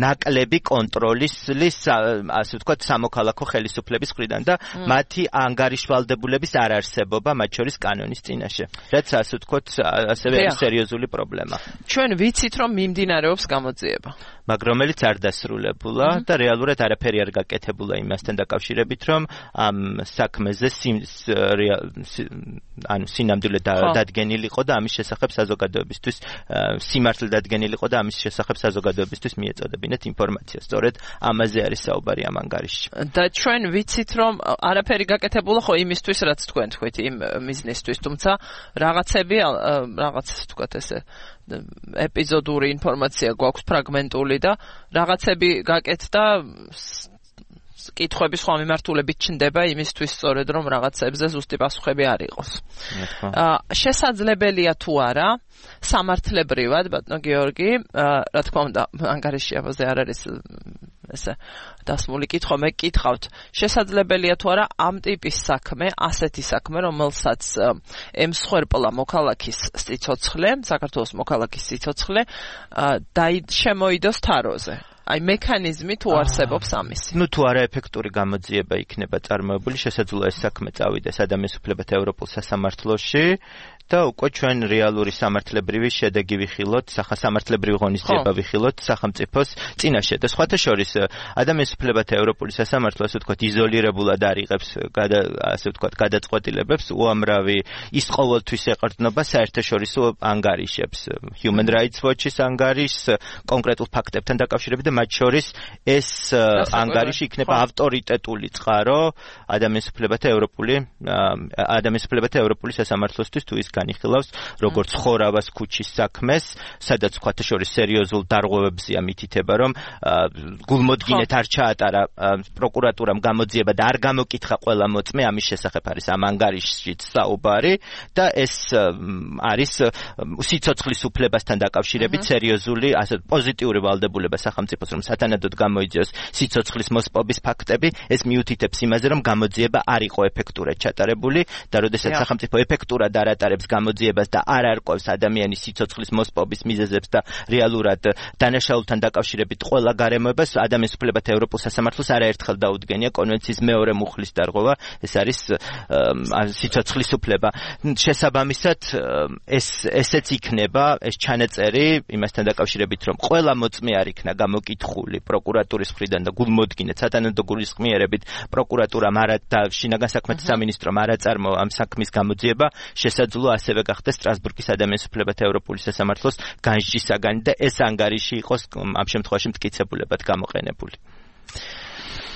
ნაკლები კონტროლის, ასე ვთქვათ, სამოქალაქო ხელისუფლების მხრიდან და მათი ანგარიშვალდებულების არარსებობა, მათ შორის კანონის წინაშე. რაც ასე ვთქვათ, ასევე არის სერიოზული პრობლემა. ჩვენ ვიცით, რომ მიმდინარეობს გამოძიება. მაგრამ რომელიც არ დასრულებულა და რეალურად არაფერი არ გაკეთებულა იმასთან დაკავშირებით, რომ ამ საქმეზე სინამდვილე დადგენილიყო და ამის შესახებ საზოგადოებისთვის სიმართლე დადგენილიყო და ამის შესახებ საზოგადოებისთვის მიეწოდებინათ ინფორმაცია. სწორედ ამაზე არის საუბარი ამ ანგარიშში. და ჩვენ ვიცით, რომ არაფერი გაკეთებულა ხო იმისთვის, რაც თქვენ თქვით, იმ მიზნისთვის, თუმცა რაღაცები, რაღაც თქვათ ესე ეპიზოდური ინფორმაცია გვაქვს ფრაგმენტული და რაღაცები გაკეთდა კითხვების სხვა მიმართულებით ჩნდება იმისთვის სწორედ რომ რაღაცებზე ზუსტი პასუხები არ იყოს. შესაძლებელია თუ არა სამართლებრივად ბატონო გიორგი, რა თქმა უნდა, ანგარიში ამაზე არ არის ესე დასმული კითხვა, მე გკითხავთ, შესაძლებელია თუ არა ამ ტიპის საქმე, ასეთი საქმე, რომელსაც ემსხვერპლა მოქალაქის სიცოცხლე, საქართველოს მოქალაქის სიცოცხლე, შემოიდოს თაროზე. აი მექანიზმი თუ არსებობს ამისი. ნუ თუ არა ეფექტური გამოძიება იქნება წარმოებული, შესაძლოა ეს საქმე წავიდეს ადამიანის უფლებათა ევროპულ სასამართლოში და უკვე ჩვენ რეალური სამართლებრივი შედეგი ვიხილოთ, სამართლებრივი ღონისძიება ვიხილოთ სახელმწიფოს წინაშე. და სხვათა შორის ადამიანის უფლებათა ევროპული სასამართლო, ასე ვთქვათ, იზოლირებულად არ იღებს, ასე ვთქვათ, გადაწყვეტილებებს, უამრავი ის ყოველთვის ეყრდნობა საერთაშორისო ანგარიშებს, Human Rights Watch-ის ანგარიშს, კონკრეტულ ფაქტებთან დაკავშირებით და მათ შორის ეს ანგარიში იქნება ავტორიტეტული წყარო ადამიანის უფლებათა ევროპული სასამართლოსთვის თუ ის განიხილავს როგორც ხორავას ქუჩის საქმეს, სადაც სხვათა შორის სერიოზულ დარღვევებზეა მითითება, რომ გულმოდგინედ არ ჩაატარა პროკურატურამ გამოძიება და არ გამოკითხა ყველა მოწმე, ამის შესახებ არის ამ ანგარიშშიც საუბარი და ეს არის სიცოცხლის უფლებასთან დაკავშირებით სერიოზული, ასე პოზიტიური ვალდებულება სახელმწიფოს, რომ სათანადოდ გამოიძიოს სიცოცხლის მოსპობის ფაქტები, ეს მიუთითებს იმაზე, რომ გამოძიება არ იყო ეფექტურად ჩატარებული და როდესაც სახელმწიფო ეფექტურად არ ატარებს გამოძიებას და არ არკვევს ადამიანის სიცოცხლის მოსპობის მიზეზებს და რეალურად დანაშაულთან დაკავშირებით ყველა გარემოებას ადამიანის უფლებათა ევროპულ სასამართლოს არაერთხელ დაუდგენია კონვენციის მეორე მუხლის დარღვევა, ეს არის სიცოცხლის უფლება. შესაბამისად ესეც იქნება ეს ჩანაწერი იმასთან დაკავშირებით, რომ ყველა მოწმე არ იქნა გამოკითხული პროკურატურის მხრიდან და გულმოდგინედ სათანადო გულისხმიერებით პროკურატურამ და შინაგან საქმეთა სამინისტრომ არ აწარმოა ამ საქმის გამოძიება, შესაძლოა ასევე გახდეს სტრასბურგის ადამიანის უფლებათა ევროპული სასამართლოს განსჯის საგანი და ეს ანგარიში იყოს ამ შემთხვევაში მტკიცებულებად გამოყენებული.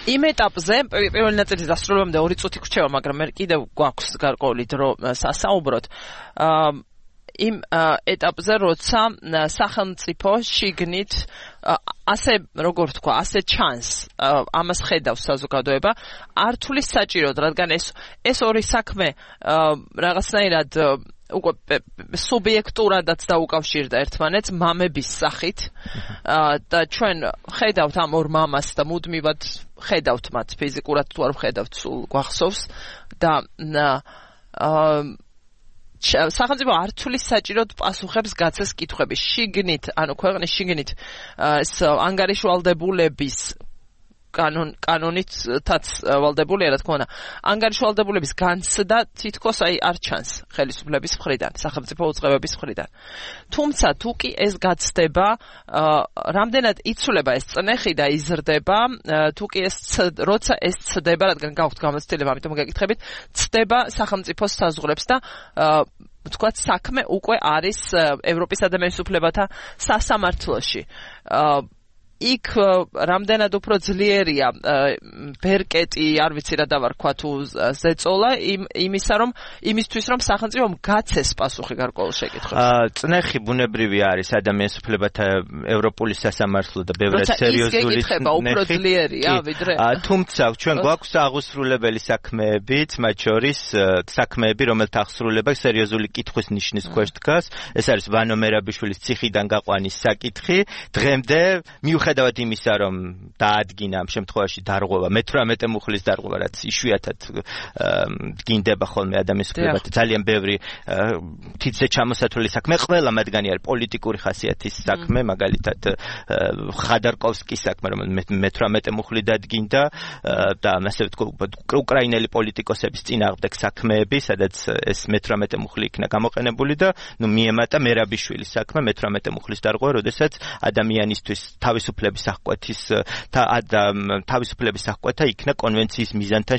იმ ეტაპზე პირველი ნაწილის დასრულებამდე 2 წუთი გვრჩება, მაგრამ მე კიდევ გვაქვს გარკვეული დრო სასაუბროთ. იმ ეტაპზე, როცა სახელმწიფო შიგნით ასე როგორ თქვა, ასე ჩანს, ამას ხედავს საზოგადოება, არ თulis საჭიროდ, რადგან ეს ორი საქმე რაღაცნაირად უკვე სუბიექტურადაც დაუკავშირდა ერთმანეთს მამების სახით და ჩვენ ხედავთ ამ ორ მამას და მუდმივად ხედავთ მათ ფიზიკურად თუ არ ხედავთ, სულ გვახსოვს და სახელმწიფო არ თulis საჭიროდ პასუხებს გაცეს კითხვების შიგნით, ანუ ქვეყნის შიგნით ანგარიშვალდებულების კანონითაც ვალდებულია, რა თქმა უნდა, ანგარიშვალდებულების განცდა თითქოს არ ჩანს ხელისუფლების მხრიდან, სახელმწიფო უწყებების მხრიდან. თუმცა თუ კი ეს გაცდება, რამდენად იცვლება ეს წნეხი და იზრდება, თუ კი როცა ეს ცდება, რადგან გაქვთ გამოცდილება, ამიტომ გეკითხებით, ცდება სახელმწიფოს საზღვრებს და თქვათ საქმე უკვე არის ევროპის ადამიანის უფლებათა სასამართლოში. იქ რამდენად უფრო ძლიერია ბერკეტი, არ ვიცი რა დავარქვა თუ ზეწოლა იმისთვის რომ სახელმწიფომ გაცეს პასუხი გარკვეულ შეკითხვებს. წნეხი ბუნებრივი არის ადამიანის უფლებათა ევროპული სასამართლო და ბევრად სერიოზული უფრო ძლიერია ვიდრე. თუმცა ჩვენ გვაქვს აღუსრულებელი საქმეებიც, მათ შორის საქმეები, რომელთა აღსრულება სერიოზული კითხვის ნიშნის ქვეშ დგას. ეს არის ვანო მერაბიშვილის ციხიდან გაყვანის საკითხი. დღემდე მიუხედავად იმისა, რომ დაადგინა ამ შემთხვევაში დარღვევა, მე-18 მუხლის დარღვევა, რაც იშვიათად დგინდება ხოლმე ადამიანის უფლებათა ძალიან ბევრი თითზე ჩამოსათვლელი საქმე, ყველა მათგანი არის პოლიტიკური ხასიათის საქმე, მაგალითად ხადარკოვსკის საქმე, რომელიც მე-18 მუხლი დადგინდა და ასე ვთქვი, უკრაინელი პოლიტიკოსების წინააღმდეგ საქმეები, სადაც ეს მე-18 მუხლი იქნა გამოყენებული და მიემატა მერაბიშვილის საქმე, მე-18 მუხლის დარღვევა, როდესაც ადამიანისთვის თავისუფლების აღკვეთა იქნა კონვენციის მიზანთან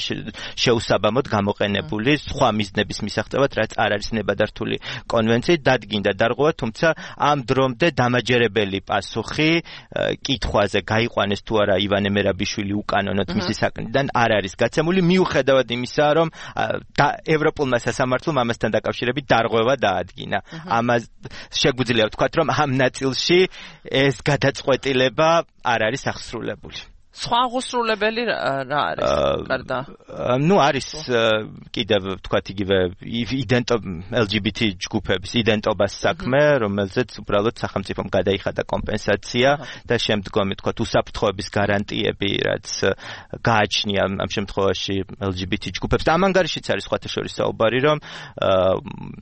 შეუსაბამოდ გამოყენებული სხვა მიზნების მისაღწევად, რაც არ არის ნებადართული კონვენციით დადგინდა დარღვევა, თუმცა ამ დრომდე დამაჯერებელი პასუხი კითხვაზე გაიყვანეს თუ არა ივანე მერაბიშვილი უკანონოდ მისი საკნიდან არ არის გაცემული, მიუხედავად იმისა, რომ ევროპულმა სასამართლომ ამასთან დაკავშირებით დარღვევა დაადგინა. ამას შეგვიძლია ვთქვათ, რომ ამ ნაწილში ეს გადაწყვეტილება არ არის აღსრულებული. სხვა აღსრულებელი რა არის? გარდა არის კიდევ ვთქვათ იგივე LGBT ჯგუფების იდენტობას საქმე, რომელზეც უბრალოდ სახელმწიფომ გადაიხადა კომპენსაცია და შემდგომი ვთქვათ უსაფრთხოების გარანტიები, რაც გააჩნია ამ შემთხვევაში LGBT ჯგუფებს. და ამ ანგარიშიც არის სხვათა შორის საუბარი, რომ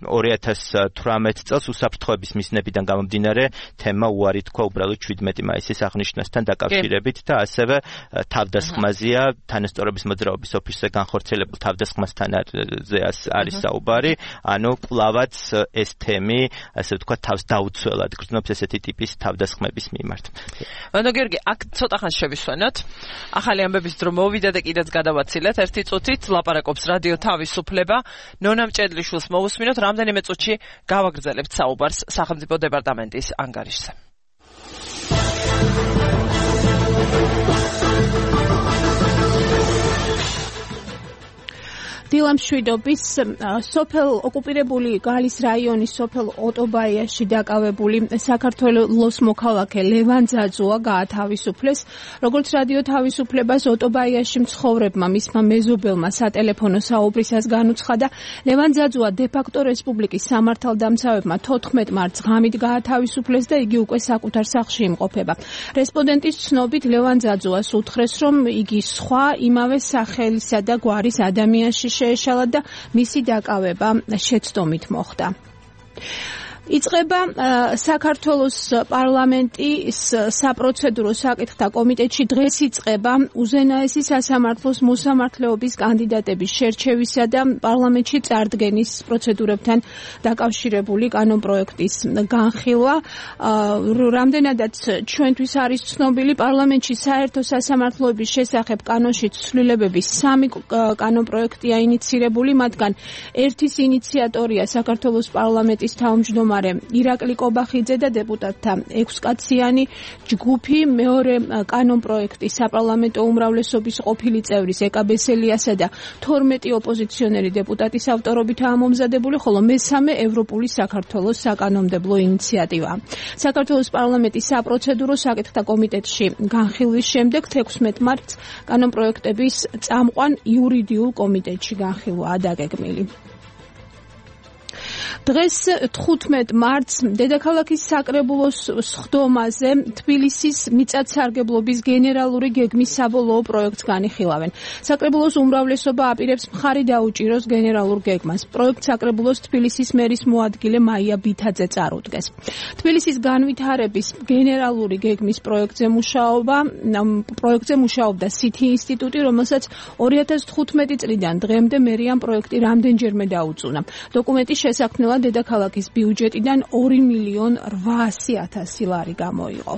2018 წელს უსაფრთხოების მიზნებიდან გამომდინარე თემა უარი თქვა უბრალოდ 17 მაისის აღნიშვნასთან დაკავშირებით და ასევე თავდასხმაზია თანასწორობის მოძრაობის ოფისზე განხორციელებულ თავდასხმასთან არის საუბარი, ანუ კვლავაც ეს თემი, ასე ვთქვათ, თავს დაუცველად გრძნობს ესეთი ტიპის თავდასხმების მიმართ. ანუ გიორგი, აქ ცოტა ხანს შევისვენოთ. ახალი ამბების დრო მოვიდა და კიდეც გადავაცილეთ. ერთი წუთით ლაპარაკობს რადიო თავისუფლება. ნონა მჭედლიშვილს მოვუსმინოთ, რამდენიმე წუთში გავაგრძელებთ საუბარს სახელმწიფო დეპარტამენტის ანგარიშზე. დილამშვიდობის სოფელ ოკუპირებული გალის რაიონის სოფელ ოტობაიაში დაკავებული საქართველოს მოქალაქე ლევან ძაძუა გაათავისუფლეს. როგორც რადიო თავისუფლებას ოტობაიაში მცხოვრებმა მისმა მეზობელმა სატელეფონო საუბრისას განუცხადა, ლევან ძაძუა დე-ფაქტო რესპუბლიკის სამართალდამცავებმა 14 მარტს ღამით გაათავისუფლეს და იგი უკვე საკუთარ სახლში იმყოფება. რესპონდენტის ცნობით ლევან ძაძუას უთხრეს, რომ იგი სხვა იმავე სახელისა და გვარის ადამიანში შეეშალა და მისი დაკავება შეცდომით მოხდა. იწყება საქართველოს პარლამენტის საპროცედურო საკითხთა კომიტეტში დღეს იწყება უზენაესი სასამართლოს მოსამართლეობის კანდიდატების შერჩევისა და პარლამენტში წარდგენის პროცედურებთან დაკავშირებული კანონპროექტის განხილვა. რამდენადაც ჩვენთვის არის ცნობილი, პარლამენტში საერთო სასამართლოების შესახებ კანონში ცვლილებების 3 კანონპროექტია ინიცირებული, მათგან ერთის ინიციატორია საქართველოს პარლამენტის თავმჯდომარე ირაკლი კობახიძე და დეპუტატთა 6-კაციანი ჯგუფი, მეორე კანონპროექტი საპარლამენტო უმრავლესობის ყოფილი წევრის ეკა ბესელიასა და 12 ოპოზიციონერი დეპუტატის ავტორობითაა მომზადებული, ხოლო მესამე ევროპული საქართველოს საკანონმდებლო ინიციატივა. საქართველოს პარლამენტის საპროცედურო საკითხთა კომიტეტში განხილვის შემდეგ 16 მარტს კანონპროექტების წამყვან იურიდიულ კომიტეტში განხილვაა დაგეგმილი. დღეს 15 მარტს დედაქალაქის საკრებულოს სხდომაზე თბილისის მიწათსარგებლობის გენერალური გეგმის საბოლოო პროექტს განიხილავენ. საკრებულოს უმრავლესობა აპირებს მხარი დაუჭიროს გენერალურ გეგმას. პროექტს საკრებულოს თბილისის მერის მოადგილე მაია ბითაძე წარუდგეს. თბილისის განვითარების გენერალური გეგმის პროექტზე მუშაობდა სითი ინსტიტუტი, რომელსაც 2015 წლიდან დღემდე მერიამ პროექტი რამდენჯერმე დაუწუნა. დოკუმენტის შესაქმნელად დედაქალაქის ბიუჯეტიდან 2.800.000 ლარი გამოიღო.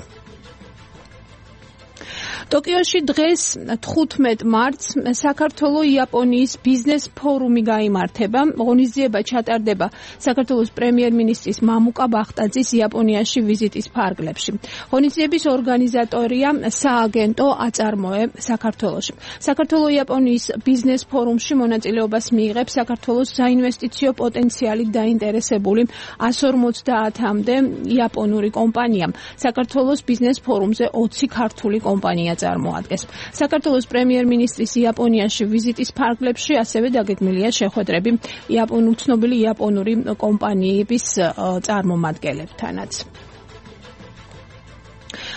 ტოკიოში დღეს 15 მარტს საქართველო-იაპონიის ბიზნეს ფორუმი გაიმართება. ღონისძიება ჩატარდება საქართველოს პრემიერ-მინისტრის მამუკა ბახტაძის იაპონიაში ვიზიტის ფარგლებში. ღონისძიების ორგანიზატორია სააგენტო აწარმოე საქართველოში. საქართველო-იაპონიის ბიზნეს ფორუმში მონაწილეობას მიიღებს საქართველოს საინვესტიციო პოტენციალით დაინტერესებული 150-მდე იაპონური კომპანია. საქართველოს ბიზნეს ფორუმზე 20 ქართული კომპანია წარმოადგენს. საქართველოს პრემიერ-მინისტრის იაპონიაში ვიზიტის ფარგლებში ასევე დაგეგმილია შეხვედრები ცნობილი იაპონური კომპანიების წარმომადგენლებთანაც.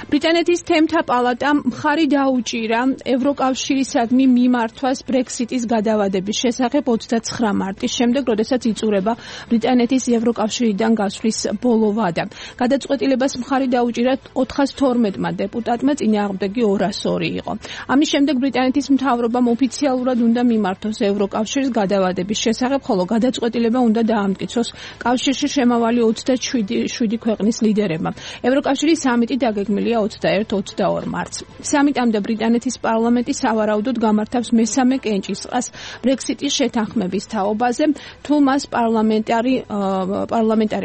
ბრიტანეთის თემთა პალატამ მხარი დაუჭირა ევროკავშირისადმი მიმართვას ბრექსიტის გადავადების შესახებ 29 მარტის შემდეგ, როდესაც იწურება ბრიტანეთის ევროკავშირიდან გასვლის ბოლო ვადა. გადაწყვეტილებას მხარი დაუჭირა 412-მა დეპუტატმა, წინააღმდეგი 202 იყო. ამის შემდეგ ბრიტანეთის მთავრობამ ოფიციალურად უნდა მიმართოს ევროკავშირის გადავადების შესახებ, ხოლო გადაწყვეტილება უნდა დაამტკიცოს კავშირში შემავალი 27 ქვეყნის ლიდერებმა. ევროკავშირის სამიტი დაგეგმილია 21-22 მარტს. სამიტამდე ბრიტანეთის პარლამენტი სავარაუდოდ გამართავს მესამე კენჭისყრას ბრექსიტის შეთანხმების თაობაზე. თუ მას პარლამენტარი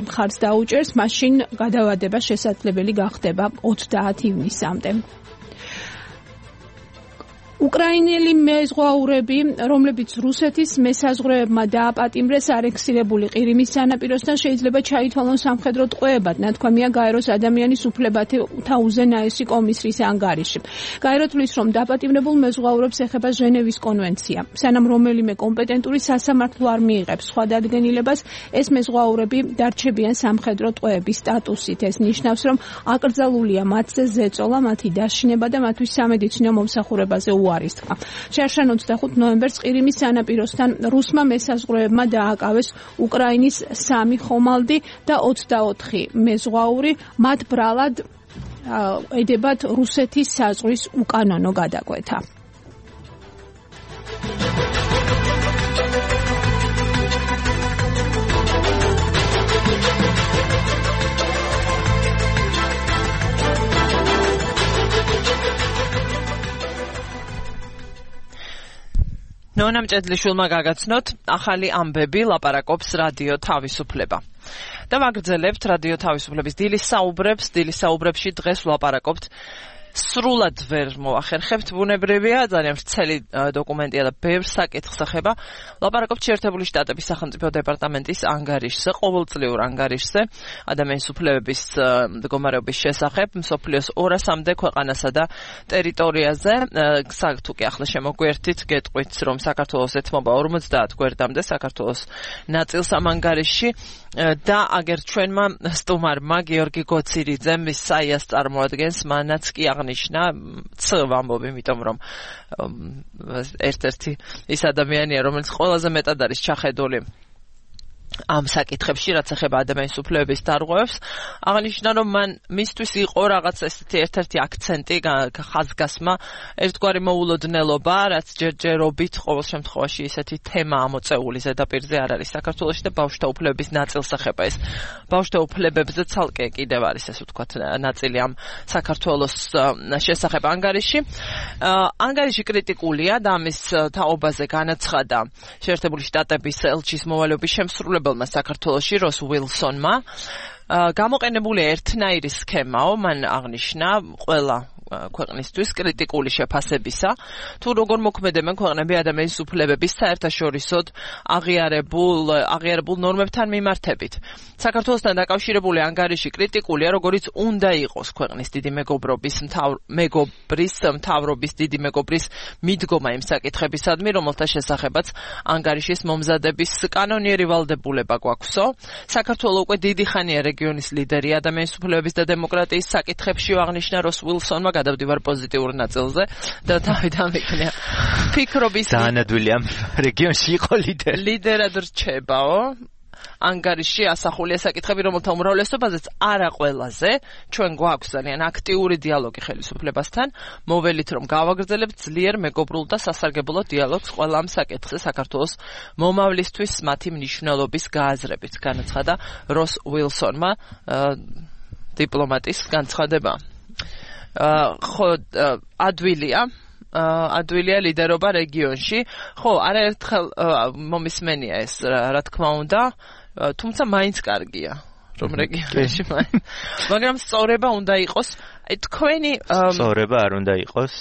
მხარს დაუჭერს, მაშინ გადავადება შესაძლებელი გახდება 30 ივნისამდე. უკრაინელი მეზღვაურები, რომლებიც რუსეთის მესაზღვრეებმა დააპატიმრეს არექსირებული ყირიმის სანაპიროსთან, შეიძლება ჩაითვალონ სამხედრო ტყვეებად, ნათქვამია გაეროს ადამიანის უფლებათა უზენაესი კომისრის ანგარიში. გაერო თვლის, რომ დაპატიმრებულ მეზღვაურებს ეხება ჟენევის კონვენცია. სანამ რომელიმე კომპეტენტური სასამართლო არ მიიღებს სხვა დადგენილებას, ეს მეზღვაურები დარჩებიან სამხედრო ტყვეების სტატუსით. ეს ნიშნავს, რომ აკრძალულია მათზე ზეწოლა, მათი დაშინება და მათთვის სამედიცინო მომსახურებაზე არის თქვა. შერშან 25 ნოემბერს ყირიმის სანაპიროსთან რუსმა მესაზღვრეებმა დააკავეს უკრაინის 3 ხომალდი და 24 მეზღვაური, მათ ბრალად ედებათ რუსეთის საზღვრის უკანონო გადაკვეთა. ნონა მჭედლიშვილმა გაგაცნოთ ახალი ამბები, ლაპარაკობს რადიო თავისუფლება. და ვაგრძელებთ რადიო თავისუფლების დილის საუბრებში დღეს ვლაპარაკობთ სრულად ვერ მოახერხებთ, ბუნებრივია, ძალიან ვრცელი დოკუმენტია და ბევრ საკითხს ეხება. ლაპარაკობთ შეერთებული შტატების სახელმწიფო დეპარტამენტის ანგარიშზე, ყოველწლიურ ანგარიშზე, ადამიანის უფლებების მდგომარეობის შესახებ, მსოფლიოს 200-მდე ქვეყანასა და ტერიტორიაზე. თუ კი ახლა შემოგვერთით, გეტყვით, რომ საქართველოს ეთმობა 50 გვერდამდე საქართველოს ნაწილს ამ ანგარიშში და აგერ ჩვენმა სტუმარმა გიორგი გოცირიძემ მის საიას წარმოადგენს, მანაც კი აღნიშნა ვამბობ, იმიტომ რომ ერთ-ერთი ის ადამიანია, რომელიც ყველაზე მეტად არის ჩახედული ამ საკითხებში, რაც ეხება ადამიანის უფლებების დარღვევებს, აღნიშნა, რომ მისთვის იყო რაღაც ესეთი ერთ-ერთი აქცენტი, ხაზგასმა, ერთგვარი მოულოდნელობა, რაც ჯერჯერობით ყოველ შემთხვევაში ესეთი თემა ამოწეული ზედაპირზე არ არის საქართველოში და ბავშვთა უფლებების ნაწილს ეხება. ეს ბავშვთა უფლებებზე ცალკე კიდევ არის, ესე ვთქვათ, ნაწილი ამ საქართველოს შესახებ ანგარიში. ანგარიში კრიტიკულია და ამის თაობაზე განაცხადა შეერთებული შტატების ელჩის მოვალეობის შემსრულებელმა საქართველოში როს უილსონმა. გამოყენებული ერთნაირი სქემაო, მან აღნიშნა ყველა ქვეყნისთვის კრიტიკული შეფასებისა, თუ როგორ მოქმედებენ ქვეყნები ადამიანის უფლებების საერთაშორისოდ აღიარებულ ნორმებთან მიმართებით. საქართველოსთან დაკავშირებული ანგარიში კრიტიკულია, როგორც უნდა იყოს ქვეყნის დიდი მეგობრის მთავრობის დიდი მეგობრის მიდგომა იმ საკითხებისადმი, რომელთა შესახებაც ანგარიშის მომზადების კანონიერი ვალდებულება გვაქვსო. საქართველოს უკვე დიდი ხანია რეგიონის ლიდერი ადამიანის უფლებების და დემოკრატიის საკითხებში, აღნიშნა როს უილსონმა. გადავდივარ პოზიტიურ ნაწილზე და თავიდან ვიქნია ფიქრობის დაანადვილი ამ რეგიონში იყო ლიდერად რჩებაო. ანგარიში ასახულია საკითხები, რომელთა უმრავლესობაზეც არა ყველაზე ჩვენ გვაქვს ძალიან აქტიური დიალოგი ხელისუფლებასთან. მოველით, რომ გავაგრძელებთ ძლიერ მეგობრულ და სასარგებლო დიალოგს ყველა ამ საკითხზე საქართველოს მომავლისთვის მათი მნიშვნელობის გააზრებით, განაცხადა როს უილსონმა დიპლომატის განცხადება. ხო ადვილია ლიდერობა რეგიონში. ხო, არაერთხელ მომისმენია ეს, რა თქმა უნდა, თუმცა მაინც კარგია, რომ რეგიონში მაგრამ სწორება უნდა იყოს. თქვენი სწორება არ უნდა იყოს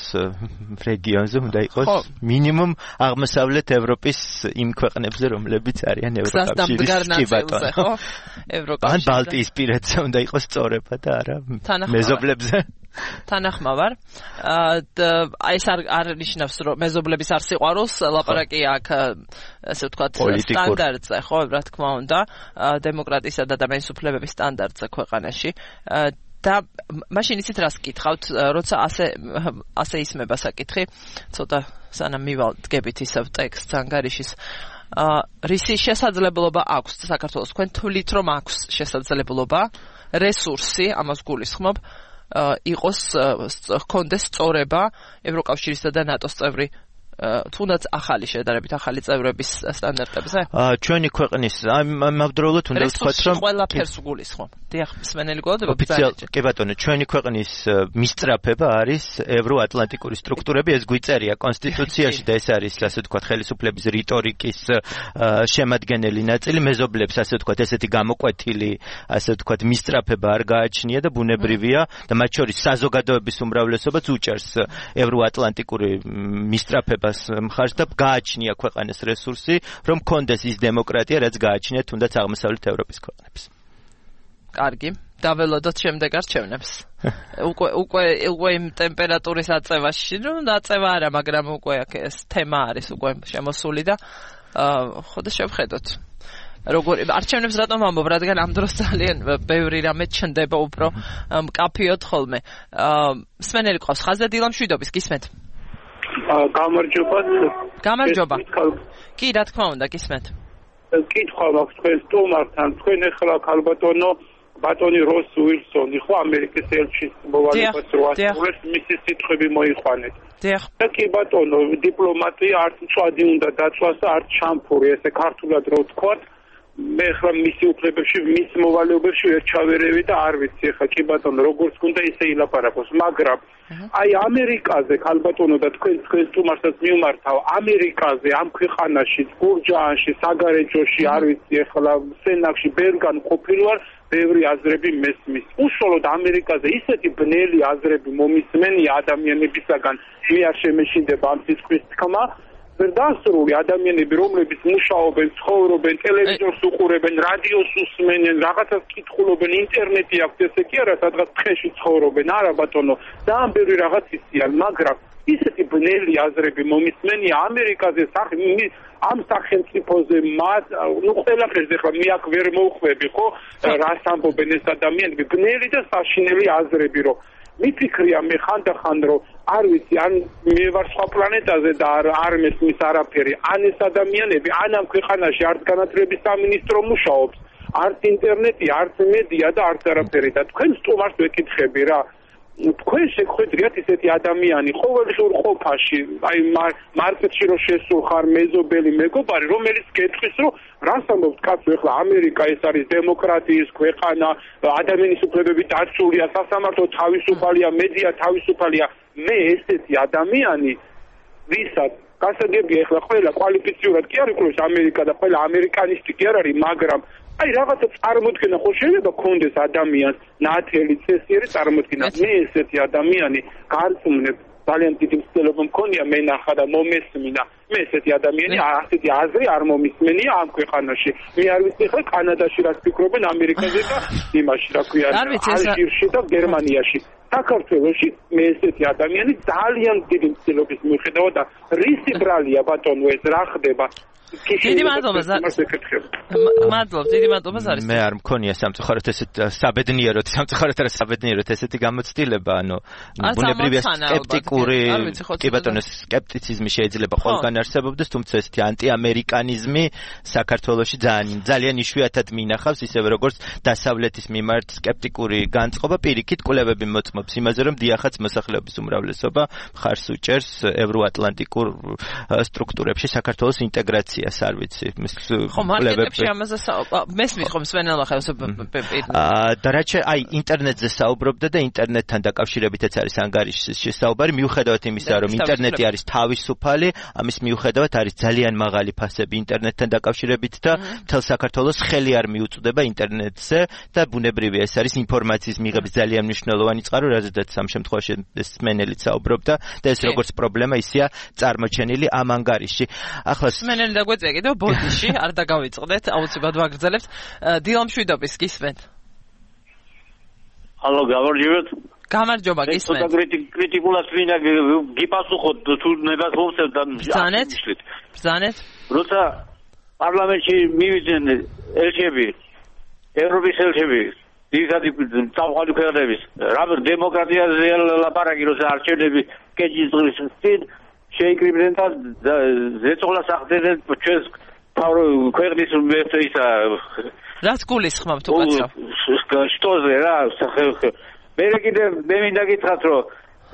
რეგიონზე, უნდა იყოს მინიმუმ აღმოსავლეთ ევროპის იმ ქვეყნებზე, რომლებიც არიან ევროკავშირის ნაცვლზე, ხო? ან ბალტიის პირეთზე უნდა იყოს სწორება და არა მეზობლებზე. თანახმავარ. ეს არ ნიშნავს, რომ მეზობლების არ სიყვარულს ლაპარაკი აქ, ასე ვთქვათ, სტანდარტზე, ხო, რა თქმა უნდა, დემოკრატიისა და ადამიანის უფლებების სტანდარტზე ქვეყანაში. და მაშინ იცით რას გკითხავთ, როცა ასე ისმება საკითხი, ცოტა სანამ მივადგებით ისევ ტექსტს ანგარიშის. რისი შესაძლებლობა აქვს საქართველოს, თქვენ თვლით რომ აქვს შესაძლებლობა, რესურსი, ამას გულისხმობ, იყოს ჰქონდეს სწორება ევროკავშირისა და ნატოს წევრი თუნდაც ახალი შედარებით ახალი წევრების სტანდარტებზე? ჩვენი ქვეყნის ამავდროულად უნდა ვთქვათ, რომ ყველაფერს გულისხმობ. დიახ, მსმენელი გველოდება. კი ბატონო, ჩვენი ქვეყნის მისწრაფება არის ევროატლანტიკური სტრუქტურები, ეს გვიწერია კონსტიტუციაში და ეს არის, ასე ვთქვათ, ხელისუფლების რიტორიკის შემადგენელი ნაწილი, მეზობლებს, ასე ვთქვათ, ესეთი გამოკვეთილი, ასე ვთქვათ, მისწრაფება არ გააჩნია და ბუნებრივია და მათ შორის საზოგადოების უმრავლესობაც უჭერს ევროატლანტიკური მისწრაფება მხარს და გააჩნია ქვეყანას რესურსი, რომ კონდეს ის დემოკრატია, რაც გააჩნია თუნდაც აღმოსავლეთ ევროპის ქვეყნებს. კარგი, დაველოდოთ შემდეგ არჩევნებს. უკვე იმ ტემპერატურის აწევაში, აწევა არა, მაგრამ უკვე ეს თემა არის უკვე შემოსული და ხო და შევხედოთ. როგორ არჩევნებს რატომ ამბობ, რადგან ამ დროს ძალიან ბევრი რამე ჩნდება უფრო მკაფიოდ ხოლმე. მსმენელი ყავს ხაზზე დილა მშვიდობის, გისმენთ? გამარჯობა. კი, რა თქმა უნდა, გისმენთ. კითხვა მაქვს თქვენ სტუმართან, თქვენ ახლა ქალბატონო ბატონი როს უილსონი ხო ამერიკის ელჩის მოვალეობას რო ასრულებს, მისი სიტყვები მოიყვანეთ. და კი ბატონო, დიპლომატია არც მწვადი უნდა დაწვას და არც შამფური, ესე ქართულად რო ვთქვათ. მე ხა მისი უფლებებში, მის მოვალეობებში ვერ ჩავერევი და არ ვიცი ხა კი ბატონო როგორც უნდა ისე ილაპარაკოს, მაგრამ აი ამერიკაზე ქალბატონო და თქვენ სტუმარსაც მიმართავ, ამერიკაზე ამ ქვეყანაში, გურჯაანში, საგარეჯოში, არ ვიცი ახლა სენაკში, ბევრგან ყოფილვარ, ბევრი აზრები მესმის. უშუალოდ ამერიკაზე ისეთი ბნელი აზრები მომისმენია ადამიანებისაგან, მე არ შემეშინდება ამ სიტყვის თქმა. დასრული ადამიანები, რომლებიც მუშაობენ, ცხოვრობენ, ტელევიზორს უყურებენ, რადიოს უსმენენ, რაღაცას კითხულობენ, ინტერნეტი აქვს, ესე კი არა, სადღაც ტყეში ცხოვრობენ, არა ბატონო, ძალიან ბევრი რაღაც იციან, მაგრამ ისეთი ბნელი აზრები მომისმენია ამერიკაზე ამ სახელმწიფოზე მათ, ყველაფერზე ხლა მე აქ ვერ მოვხვები, ხო, რას ამბობენ ეს ადამიანები, ბნელი და საშინელი აზრები, რომ მიფიქრია მე ხანდახან რომ არ ვიცი ან მე ვარ სხვა პლანეტაზე და არ მესმის არაფერი ან ეს ადამიანები ან ამ ქვეყანაში არც განათლების სამინისტრო მუშაობს არც ინტერნეტი არც მედია და არც არაფერი და თქვენ სტუმარს ვეკითხები რა თქვენ შეგხვედრიათ ისეთი ადამიანი ყოველდღიურ ყოფაში აი მარკეტში რო შესულ ხარ მეზობელი მეგობარი რომელიც გეტყვის რომ რას ამბობთ კაცო ეხლა ამერიკა ეს არის დემოკრატიის ქვეყანა ადამიანის უფლებები დაცულია სასამართლო თავისუფალია მედია თავისუფალია მე ესეთი ადამიანი ვისაც გასაგებია ეხლა ყველა კვალიფიციურად კი არ იკვლევს ამერიკა და ყველა ამერიკანისტი კი არ არის მაგრამ აი რაღაცა წარმოქმნა ხო შეიძლება კონდეს ადამიანს ნათელი წესიერი წარმოქმნა მე ესეთი ადამიანი გარწმუნებ ძალიან დიდი მცდელობა მქონია მე ნახა და მომესმინა მე ესეთი ადამიანი ასეთი აზრი არ მომისმენია ამ ქვეყანაში მე არ ვიცი ხა კანადაში რას ფიქრობენ ამერიკაზე და იმაში რა ქვია ალჟირში და გერმანიაში საქართველოში მე ესეთი ადამიანი ძალიან დიდი მცდელობის მიუხედავად და რისი ბრალია ბატონო ეს რა ხდება დიდი მადლობა დიდი მადლობა ზარის მე არ მქონია სამწუხაროდ ესეთ საბედნიეროდ ესეთი გამოცდილება ანუ ბუნებრივია სკეპტიკური კი ბატონო სკეპტიციზმი შეიძლება ყველგან არსებობდეს, თუმცა ესეთი ანტიამერიკანიზმი საქართველოში ძალიან იშვიათად მინახავს, ისევე როგორც დასავლეთის მიმართ სკეპტიკური განწყობა, პირიქით კვლევები მოწმობს იმაზე, რომ დიახაც მოსახლეობის უმრავლესობა მხარს უჭერს ევროატლანტიკურ სტრუქტურებში საქართველოს ინტეგრაციას, არ ვიცი. ხო, მარკეტებში ამაზე მესმის ხომ სვენელმა ხელს და რაც აი ინტერნეტზე საუბრობდა და ინტერნეტთან დაკავშირებითაც არის ანგარიშის შესაუბარი, მიუხედავად იმისა, რომ ინტერნეტი არის თავისუფალი, ამის მიუხედავად არის ძალიან მაღალი ფასები ინტერნეტთან დაკავშირებით და მთელ საქართველოს ხელი არ მიუწვდება ინტერნეტზე და ბუნებრივია ეს არის ინფორმაციის მიღების ძალიან მნიშვნელოვანი წყარო, რაზედაც ამ შემთხვევაში სმენელიც საუბრობდა და ეს როგორც პრობლემა ისეა წარმოჩენილი ამ ანგარიში. ახლა სმენელი დაგვეწია კიდევ ბოდიში, არ დაგავიწყდეთ, აუცილებლად ვაგრძელებთ. დილამშვიდობის გისმენთ. ალო, გამარჯობათ. გამარჯობა, გისმენთ. კრიტიკულად ვინა გიპასუხოთ თუ ნებას მომწევ და ბრძანეთ. როცა პარლამენტში მივიდნენ ელჩები, ევროპის ელჩები, ძირითადი წამყვანი ქვეყნების, რა დემოკრატიაზე ლაპარაკი, როცა არჩევნები კეჭის დღის წინ შეიკრიბნენ და ზეწოლას ახდენენ ჩვენს ქვეყნის ისა რაც გულისხმობთ უკაცრავ. შტოზე რა, მე კიდე მე მინდა გითხრათ, რომ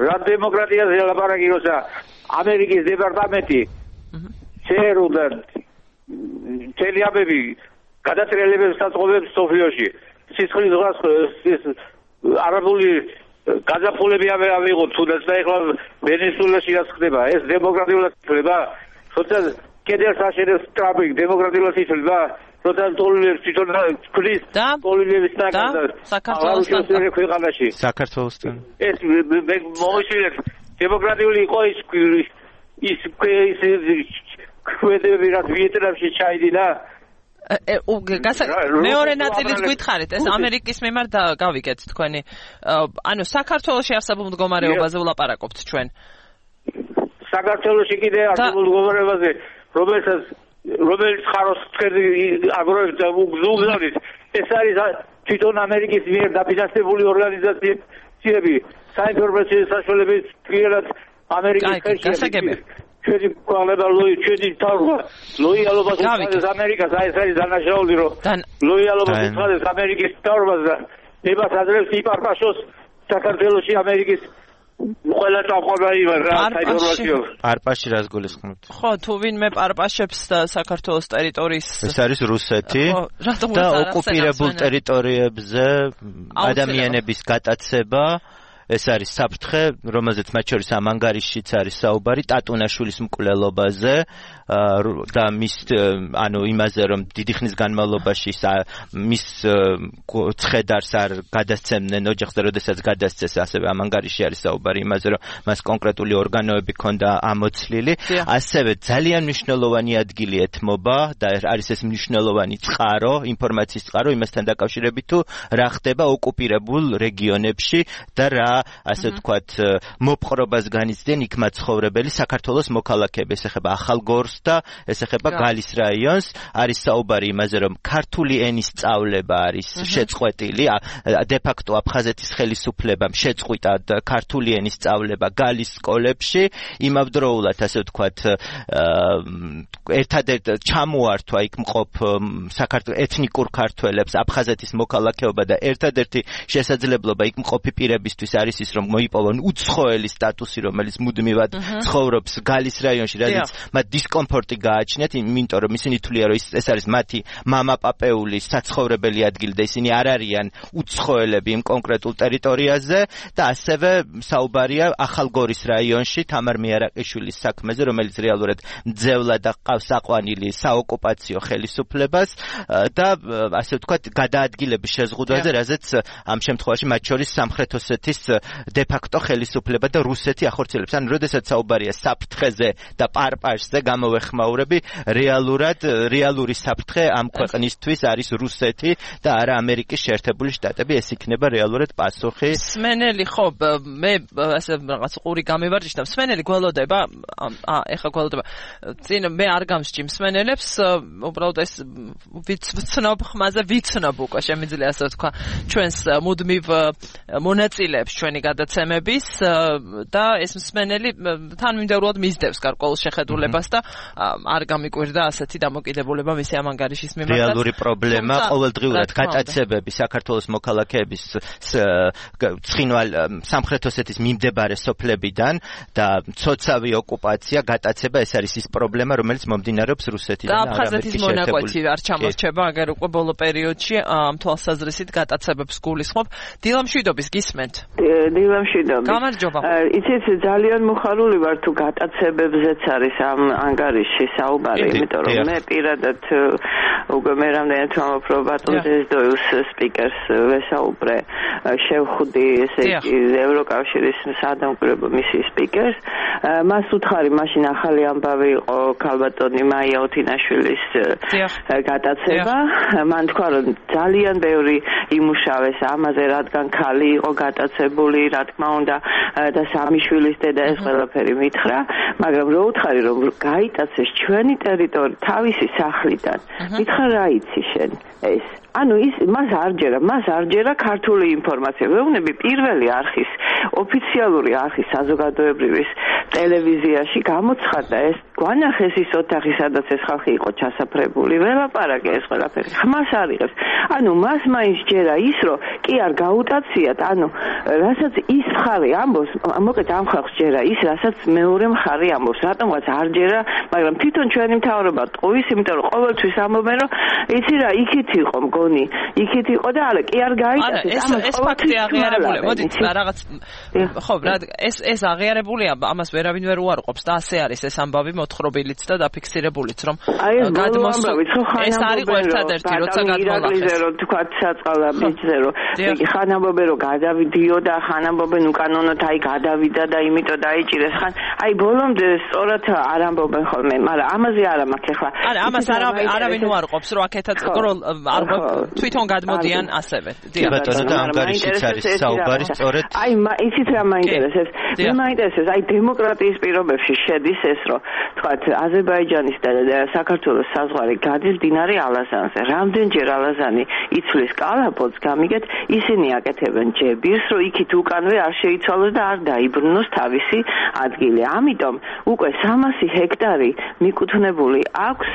რა დემოკრატიაზე ლაპარაკი, როცა ამერიკის დეპარტამენტი შეერუდა თელიაბები გადატრიალებებს საწყობებს სოფიოში. სისხლის ზღვას არაბული გაზაფხულები ავიღოთ თუნდაც და ეხლა ვენესუელაში რაც ხდება, ეს დემოკრატიულად ხდება, როცა კედელს აშენებს ტრამპი, დემოკრატიულად იწება, როცა ტოლილებს თვითონ ქრის ტოლილების ნაკადა საქართველოსთან ქვეყანაში. საქართველოსთან. ეს მე მომიშილეთ დემოკრატიული იყო ის კვედები რაც ვიეტნამში ჩაიდინა. მეორე ნაწილით გითხარით, ეს ამერიკის მიმართ გავიგეთ თქვენი. ანუ საქართველოში არსებულ მდგომარეობაზე ვლაპარაკობთ ჩვენ. საქართველოში კიდე არსებულ მდგომარეობაზე, რომელიც ხაროს აგროვებს და უგზავნით, ეს არის თვითონ ამერიკის მიერ დაფინანსებული ორგანიზაციები, საინფორმაციო საშუალებების პირად ამერიკის ხელში. ჩვენი კვალება ჩვენი თავრობა ლოიალობას უცხადეს ამერიკას, ეს არის დანაშაული, რომ ლოიალობას უცხადეს ამერიკის თავრობას და ებას აძლევს იპარპაშოს საქართველოში ამერიკის ყველა წამყვანი რა საინფორმაციო. პარპაში რას გულისხმობთ? ხო, თუ ვინმე პარპაშებს საქართველოს ტერიტორიის ეს არის რუსეთი და ოკუპირებულ ტერიტორიებზე ადამიანების გატაცება. ეს არის საფრთხე, რომელზეც მათ შორის ამ ანგარიშიც არის საუბარი ტატუნაშვილის მკვლელობაზე და მის ანუ იმაზე, რომ დიდი ხნის განმავლობაში მის ცხედარს არ გადასცემდნენ ოჯახს და როდესაც გადასცეს, ასევე ამ ანგარიში არის საუბარი იმაზე, რომ მას კონკრეტული ორგანოები ჰქონდა ამოცლილი. ასევე ძალიან მნიშვნელოვანი ადგილი ეთმობა და არის ეს მნიშვნელოვანი წყარო, ინფორმაციის წყარო იმასთან დაკავშირებით, თუ რა ხდება ოკუპირებულ რეგიონებში და რა ასე ვთქვათ მოპყრობას განიცდიან იქ მაცხოვრებელი საქართველოს მოქალაქეები. ეს ეხება ახალგორს და ეს ეხება გალის რაიონს. არის საუბარი იმაზე, რომ ქართული ენის სწავლება არის შეწყვეტილი, დე-ფაქტო აფხაზეთის ხელისუფლებამ შეწყვიტა ქართული ენის სწავლება გალის სკოლებში. იმავდროულად ასე ვთქვათ ერთადერთ ჩამოართვა იქ მყოფ ეთნიკურ ქართველებს აფხაზეთის მოქალაქეობა და ერთადერთი შესაძლებლობა იქ მყოფი პირებისთვის არის ის, რომ მოიპოვონ უცხოელი სტატუსი, რომელიც მუდმივად ცხოვრობს გალის რაიონში, რადგან მათ დისკომფორტი გააჩნიათ, იმიტომ რომ ისინი თვლიან, რომ ეს არის მათი მამაპაპეული საცხოვრებელი ადგილი და ისინი არ არიან უცხოელები იმ კონკრეტულ ტერიტორიაზე და ასევე საუბარია ახალგორის რაიონში თამარ მიარაყიშვილის საქმეზე, რომელიც რეალურად მძევლად ყავს აყვანილი საოკუპაციო ხელისუფლებას და ასე ვთქვათ გადაადგილების შეზღუდვაზე, რაზეც ამ შემთხვევაში მათ შორის სამხრეთ ოსეთის დე-ფაქტო ხელისუფლება და რუსეთი ახორციელებს. ანუ როდესაც საუბარია საფრთხეზე და პარპაშზე გამოვეხმაურები, რეალური საფრთხე ამ ქვეყნისთვის არის რუსეთი და არა ამერიკის შეერთებული შტატები. ეს იქნება რეალურად პასუხი. სმენელი ხო, მე ასე რაღაც ყური გამივარჯიშდა. სმენელი გველოდება, ეხლა გველოდება. წინ მე არ გამსჭიმ სმენელებს, უბრალოდ ეს ვიცნობ ხმაზე ვიცნობ უკვე შემიძლია ასე ვთქვა ჩვენს მუდმივ მონაწილეებს ჩვენი გადაცემების და ეს მსმენელი თანმიმდევრულად მისდევს გარკვეულ შეხედულებას და არ გამიკვირდა ასეთი დამოკიდებულება მისი ამ ანგარიშის მიმართ. რეალური პრობლემა ყოველდღიურად გატაცებები საქართველოს მოქალაქეების ცხინვალ სამხრეთ ოსეთის მიმდებარე სოფლებიდან და ცოცავი ოკუპაცია გატაცება ეს არის ის პრობლემა რომელიც მომდინარეობს რუსეთიდან და აფხაზეთის მონაკვეთი არ ჩამორჩება აგერ უკვე ბოლო პერიოდში ამ თვალსაზრისით გატაცებებს გულისხმობ. დილამშვიდობის გისმენთ. დილამშვიდობის. გამარჯობა. იცით ძალიან მოხარული ვარ თუ გატაცებებზეც არის ამ ანგარიშში საუბარი, იმიტომ რომ მე პირადად უკვე მე რამდენად ვამბობ ბატონ ზესდოიუს სპიკერს ვესაუბრე შევხვდი ესე იგი ევროკავშირის სადამკვირვებლო მისიის სპიკერს მას უთხარი მაშინ ახალი ამბავი იყო ქალბატონი მაია ოთინაშვილის გატაცება მან თქვა რომ ძალიან ბევრი იმუშავეს ამაზე რადგან ქალი იყო გატაცებული რა თქმა უნდა და სამი შვილის დედა ეს ყველაფერი მითხრა მაგრამ რო უთხარი რომ გაიტაცეს ჩვენი ტერიტორია თავისი სახლიდან მითხრა რა იცი შენ ეს ანუ ის მას არ ჯერა ქართული ინფორმაცია. ვეუბნები პირველი არხის ოფიციალური არხის საზოგადოებრივის ტელევიზიაში გამოცხადდა ეს გვანახეს ის ოთახი სადაც ეს ხალხი იყო ჩასაფრებული ველაპარაკე ეს ყველაფერი ხმას არიღებს ანუ მას მაინც ჯერა ის რომ კი არ გაუტაციათ ანუ რასაც ის მხარე ამბობს მოკლედ ამ ხალხს ჯერა ის რასაც მეორე მხარე ამბობს რატომღაც არ ჯერა მაგრამ თვითონ ჩვენი მთავრობა ტყუის იმიტომ რომ ყოველთვის ამბობენ რომ იცი რა იქით იყო მგონი იქით იყო და არა კი არ გაიტაცეს ეს ფაქტი აღიარებულია მოდით რაღაც ხო რა ეს აღიარებულია ამას ვერავინ ვერ უარყოფს და ასე არის ეს ამბავი მოთხრობილიც და დაფიქსირებულიც რომ გადმოსული ეს არის ერთადერთი როცა გადმოლახეს რომ თქვა საწყალა ბიჭზე რომ ხან ამბობენ რომ გადავიდიოდა ხან ამბობენ უკანონოდ აი გადავიდა და იმიტომ დაიჭირეს ხან აი ბოლომდე სწორად არ ამბობენ ხოლმე მაგრამ ამაზე არა მაქვს ახლა არა ამას არავინ უარყოფს რომ აქეთაც რომ არ თვითონ გადმოდიან ასევე დიახ ბატონო და ანგარიშიც არის საუბარი სწორედ აი იცით რა მაინტერესებს მე მაინტერესებს აი დემოკრატიის პირობებში შედის ეს რომ თქვათ აზერბაიჯანის და საქართველოს საზღვარი გადის მდინარე ალაზანზე რამდენჯერ ალაზანი იცვლის კალაპოტს გამიგეთ ისინი აკეთებენ ჯებირს რომ იქით უკანვე არ შეიცვალოს და არ დაიბრუნოს თავისი ადგილი ამიტომ უკვე 300 ჰექტარი მიკუთვნებული აქვს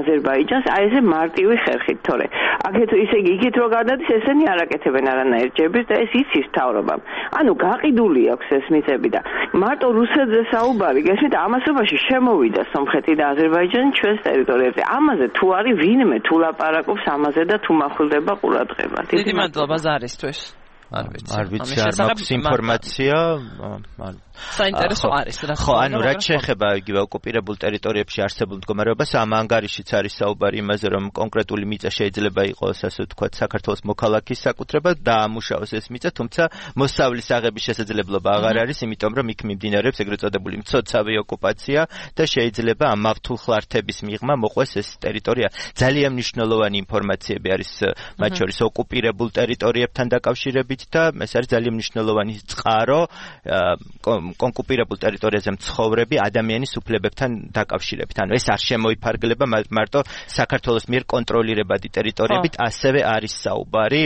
აზერბაიჯანს აი ესე მარტივი ხერხით თორე აქეთ ისე იგი იქით რო გადადის ესენი არ აკეთებენ არანაირ ჯებირს და ეს იცის თავრობამ ანუ გაყიდული აქვს ეს მიწები და მარტო რუსეთზე საუბარი გესმით ამასობაში შემოვიდა სომხეთი და აზერბაიჯანი ჩვენს ტერიტორიაზე ამაზე თუ არის ვინმე თუ ლაპარაკობს ამაზე და თუ მახვილდება ყურადღება დიდი მადლობა ზარისთვის არ ვიცი არ მაქვს ინფორმაცია საინტერესო არის რა ხო ანუ რაც შეეხება იგივე ოკუპირებულ ტერიტორიებში არსებულ მდგომარეობას ამ ანგარიშიც არის საუბარი იმაზე რომ კონკრეტული მიწა შეიძლება იყოს ასე ვთქვათ საქართველოს მოქალაქის საკუთრება და ამუშავოს ეს მიწა თუმცა მოსავლის აღების შესაძლებლობა აღარ არის იმიტომ რომ იქ მიმდინარეობს ეგრეთ წოდებული მცოცავი ოკუპაცია და შეიძლება ამ მავთულხლართების მიღმა მოყვეს ეს ტერიტორია ძალიან მნიშვნელოვანი ინფორმაციები არის მათ შორის ოკუპირებულ ტერიტორიებთან დაკავშირებით და ეს არის ძალიან მნიშვნელოვანი წყარო კონკუპირებულ ტერიტორიაზე მცხოვრები ადამიანის უფლებებთან დაკავშირებით. ანუ ეს არ შემოიფარგლება მარტო საქართველოს მიერ კონტროლირებადი ტერიტორიებით, ასევე არის საუბარი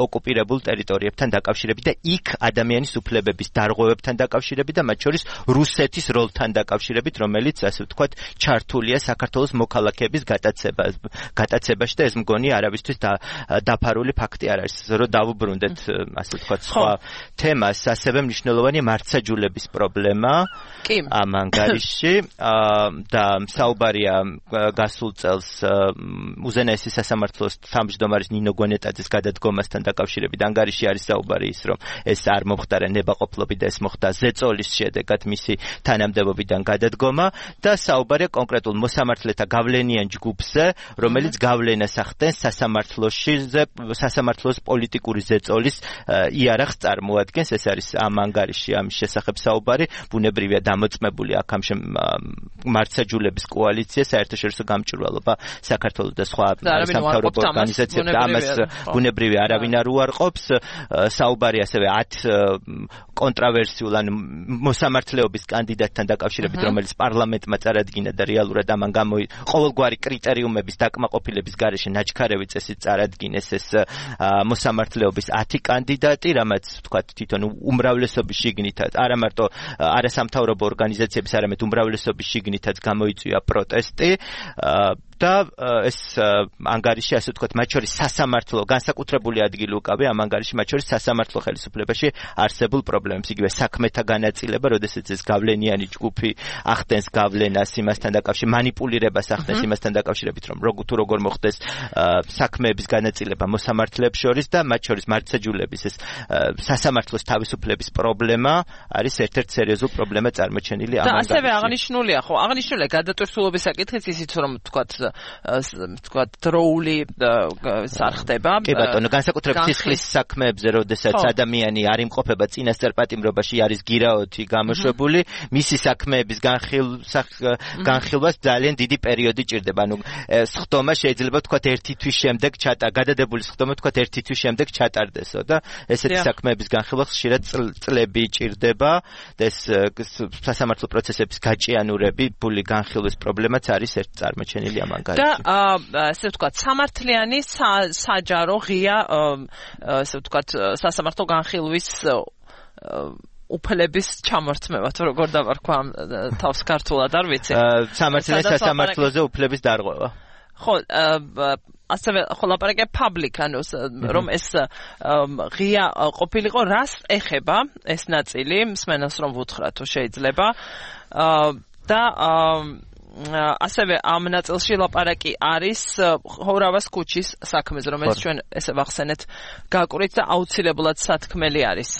ოკუპირებულ ტერიტორიებთან დაკავშირებით და იქ ადამიანის უფლებების დარღვევებთან დაკავშირებით და მათ შორის რუსეთის როლთან დაკავშირებით, რომელიც ასე ვთქვათ, ჩართულია საქართველოს მოქალაქეების გატაცებაში და ეს მგონი არავისთვის დაფარული ფაქტი არ არის, რომ დავუბრუნდეთ ასე ვთქვათ სხვა თემას, ასევე მნიშვნელოვანია მართსაჯულების პრობლემა ამ ანგარიშში და საუბარია გასულ წელს უზენაესი სასამართლოს თავმჯდომარის ნინო გონეტაძის გადადგომასთან დაკავშირებით ანგარიში არის საუბარი ის რომ ეს არ მომხდარა ნებაყოფლობით და ეს მოხდა ზეწოლის შედეგად მისი თანამდებობიდან გადადგომა და საუბარია კონკრეტულ მოსამართლეთა გავლენიან ჯგუფზე რომელიც გავლენას ახდენს სასამართლოს პოლიტიკური ზეწოლის იარაღს წარმოადგენს ეს არის ამ ანგარიში ამის შესახებ საუბარი ბუნებრივია დამოწმებული აქ ამ მართსაჯულების კოალიცია საერთაშორისო გამჭვირვალობა საქართველოს და სხვა სამთავრობო ორგანიზაციები და ამას ბუნებრივია არავინ არ უარყოფს საუბარი ასევე 10 კონტრავერსიულ ან მოსამართლეობის კანდიდატთან დაკავშირებით რომელიც პარლამენტმა წარადგინა და რეალურად ამან ყოველგვარი კრიტერიუმების დაკმაყოფილების გარეშე ნაჩქარევი წესით წარადგინეს ეს მოსამართლეობის 10 კანდიდატი, რამაც ვთქვათ თვითონ უმრავლესობის შიგნითაც, არა მარტო არასამთავრობო ორგანიზაციების, არამედ უმრავლესობის შიგნითაც გამოიწვია პროტესტი. და ეს ანგარიში ასე ვთქვათ მათ შორის სასამართლო განსაკუთრებული ადგილი უკავია ამ ანგარიში მათ შორის სასამართლო ხელისუფლებაში არსებულ პრობლემებს იგივე საქმეთა განაწილება როდესაც ეს გავლენიანი ჯგუფი ახდენს გავლენას იმასთან დაკავშირებით მანიპულირებას ახდენს იმასთან დაკავშირებით რომ როგორ მოხდეს საქმეების განაწილება მოსამართლეებს შორის და მათ შორის მართლმსაჯულების ეს სასამართლოს თავისუფლების პრობლემა არის ერთ-ერთი სერიოზული პრობლემა წარმოჩენილი ამ ანგარიშში. და ასევე აღნიშნულია გადატვირთულობის საკითხიც ისიც რომ ვთქვათ დროული სარხდება. კი ბატონო, განსაკუთრებით სისხლის საქმეებზე, როდესაც ადამიანი არ იმყოფება წინასწარ პატიმრობაში, არის გირაოთი გამოშვებული, მისი საქმეების განხილვას ძალიან დიდი პერიოდი ჭირდება. ანუ სხდომა შეიძლება ვთქვათ 1 თვის შემდეგ გადადებული სხდომა ვთქვათ 1 თვის შემდეგ ჩატარდესო და ესეთი საქმეების განხილვა ხშირად წლები ჭირდება და ეს სასამართლო პროცესების გაჭიანურები, ფული განხილვის პრობლემაც არის ერთ წარმოჩენილი ამ ანგარიში. და ესე ვთქვათ სამართლიანი საჯარო ღია ესე ვთქვათ სასამართლო განხილვის უფლების ჩამორთმევა თუ როგორ დავარქვა თავს ქართულად არ ვიცი. სამართლიანი სასამართლოზე უფლების დარღვევა. ხო, ასევე ლაპარაკია public, ანუ რომ ეს ღია ყოფილიყო, რას ეხება ეს ნაწილი, მსმენელს რომ ვუთხრა თუ შეიძლება. და ასევე ამ ნაწილში ლაპარაკი არის ხოვრავას ქუჩის საქმეზე, რომელიც ჩვენ ესე ვახსენეთ გაკვირით და აუცილებლად სათქმელი არის.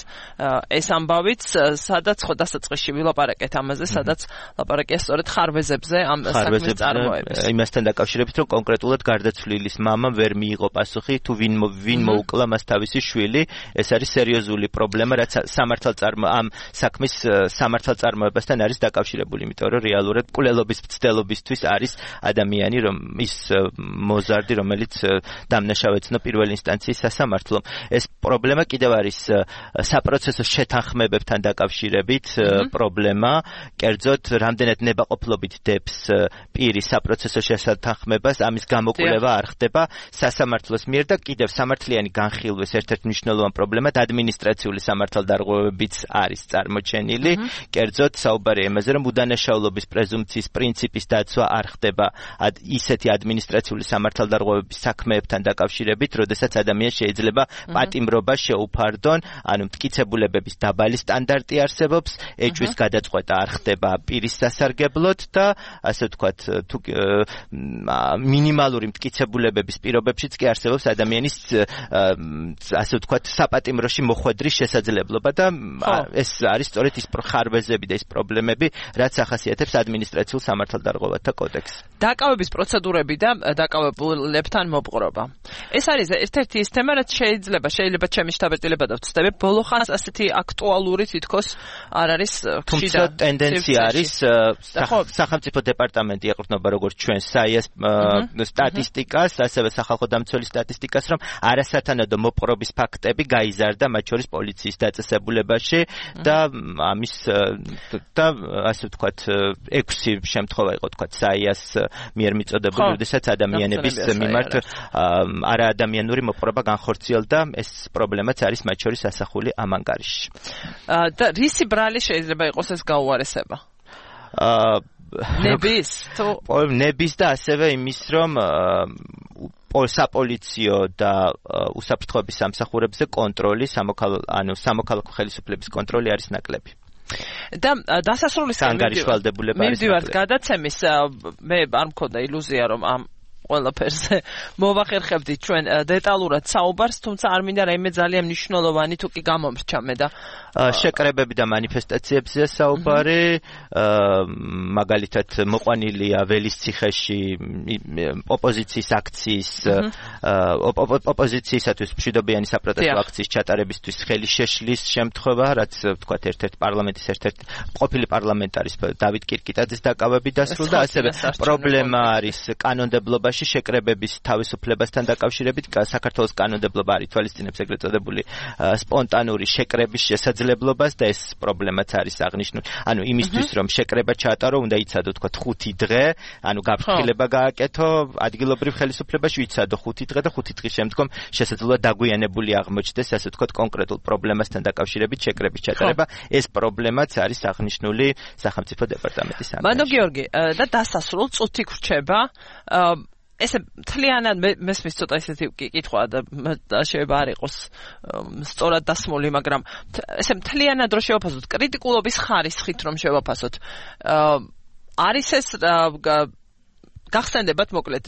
ეს ამბავიც სადაც ხო დასაწყისში ვილაპარაკეთ ამაზე, სადაც ლაპარაკია სწორედ ხარვეზებზე, ამ საქმის წარმოების. იმასთან დაკავშირებით, რომ კონკრეტულად გარდაცვლილის მამამ ვერ მიიღო პასუხი, თუ ვინ მოუკლა მას თავისი შვილი, ეს არის სერიოზული პრობლემა, რაც ამ საქმის სამართალწარმოებასთან არის დაკავშირებული, იმიტომ რომ რეალურად კვლელობის მცდელობისთვის არის ადამიანი, რომ ის მოზარდი, რომელიც დამნაშავეცნო პირველ ინსტანციის სასამართლომ. ეს პრობლემა კიდევ არის საპროცესო შეთანხმებებთან დაკავშირებით პრობლემა, კერძოდ რამდენად ნებაყოფლობით დებს პირი საპროცესო შეთანხმებას, ამის გამოკვლევა არ ხდება სასამართლოს მიერ და კიდევ სამართლიანი განხილვის ერთ-ერთი მნიშვნელოვანი პრობლემად ადმინისტრაციული სამართალდარღვევებიც არის წარმოჩენილი, კერძოდ საუბარია იმაზე, რომ უდანაშაულობის პრეზუმპციის პრინციპის დაცვა არ ხდება ისეთი ადმინისტრაციული სამართალდარღვევების საქმეებთან დაკავშირებით, როდესაც ადამიანს შეიძლება პატიმრობა შეუფარდონ, ანუ მტკიცებულებების დაბალი სტანდარტი არსებობს, ეჭვის გადაწყვეტა არ ხდება პირის სასარგებლოდ და ასე ვთქვათ, თუ მინიმალური მტკიცებულებების პირობებშიც კი არსებობს ადამიანის ასე ვთქვათ, საპატიმროში მოხვედრის შესაძლებლობა და ეს არის სწორედ ის ხარვეზები და ის პრობლემები, რაც ახასიათებს ადმინისტრაციულ სამართალდარღვევათა კოდექსს. დაკავების პროცედურები და დაკავებულებთან მოპყრობა. ეს არის ერთ-ერთი ის თემა, რაც შეიძლება ჩემი შთაბეჭდილება და ვწდები, ბოლო ხანს ასეთი აქტუალური თითქოს არ არის თუმცა ტენდენცია არის სახელმწიფო დეპარტამენტი ეყრდნობა როგორც ჩვენ საიას სტატისტიკას, ასევე სახალხო დამცველი სტატისტიკას, რომ არასათანადო მოპყრობის ფაქტები გაიზარდა მათ შორის პოლიციის დაწესებულებაში და ამის და ასე ვთქვათ 6 შემთხვევა იყო თქვათ საიას მიერ მიწოდებული, როდესაც ადამიანების მიმართ არაადამიანური მოპყრობა განხორციელდა, ეს პრობლემაც არის მათ შორის ასახული ამ ანგარიშში. და რისი ბრალი შეიძლება იყოს ეს გაუარესება? ნების და ასევე იმის, რომ საპოლიციო და უსაფრთხოების სამსახურებზე კონტროლი, სამოქალაქო ხელისუფლების კონტროლი არის ნაკლები. და დასასრულისკენ მივდივართ გადაცემის, მე არ მქონდა ილუზია, რომ ამ ყველაფერზე მოვახერხებდით ჩვენ დეტალურად საუბარს, თუმცა არ მინდა რაიმე ძალიან მნიშვნელოვანი თუ კი გამომრჩა მე და შეკრებები და მანიფესტაციებზეა საუბარი, მაგალითად მოყვანილია ველისციხეში ოპოზიციის აქციის ოპოზიციისათვის მშვიდობიანი საპროტესტო აქციის ჩატარებისთვის ხელი შეშლის შემთხვევა, რაც ვთქვათ ერთ-ერთი პარლამენტის ყოფილი პარლამენტარის დავით კირკიტაძის დაკავებით დასრულდა, ასევე პრობლემა არის კანონმდებლობაში შემთხვევაში შეკრებების თავისუფლებასთან დაკავშირებით საქართველოს კანონმდებლობა არ ითვალისწინებს ეგრეთ წოდებული სპონტანური შეკრების შესაძლებლობას და ეს პრობლემაც არის აღნიშნული. ანუ იმისთვის რომ შეკრება ჩაატარო, უნდა იცადო თქვა 5 დღე, ანუ გაფრთხილება გააკეთო ადგილობრივ ხელისუფლებაში, იცადო 5 დღე და 5 დღის შემდგომ შესაძლოა დაგვიანებული აღმოჩნდეს ასე ვთქვათ კონკრეტულ პრობლემასთან დაკავშირებით შეკრების ჩატარება. ეს პრობლემაც არის აღნიშნული სახელმწიფო დეპარტამენტის ანგარიშში. მანდო გიორგი და დასასრულ წუთი გრჩება ესე მთლიანად მესმის ცოტა ისეთი კითხვა და შეიძლება არ იყოს სწორად დასმული, მაგრამ ესე მთლიანად რო შევაფასოთ კრიტიკულობის ხარისხით რომ შევაფასოთ არის ეს გახსენდებათ მოკლედ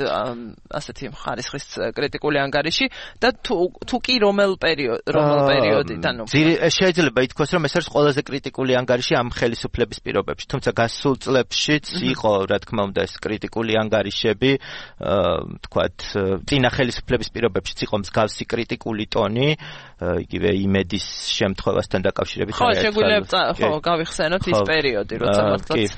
ასეთი ხარისხის კრიტიკული ანგარიში და თუ კი რომელ პერიოდიდან შეიძლება ითქვას რომ ეს არის ყველაზე კრიტიკული ანგარიში ამ ხელისუფლების პირობებში, თუმცა გასულ წლებშიც იყო რა თქმა უნდა ეს კრიტიკული ანგარიშები თქვათ წინა ხელისუფლების პირობებშიც იყო მსგავსი კრიტიკული ტონი იგივე იმედის შემთხვევასთან დაკავშირებით ხო შეგვიძლია ხო გავიხსენოთ ის პერიოდი როცა მართლაც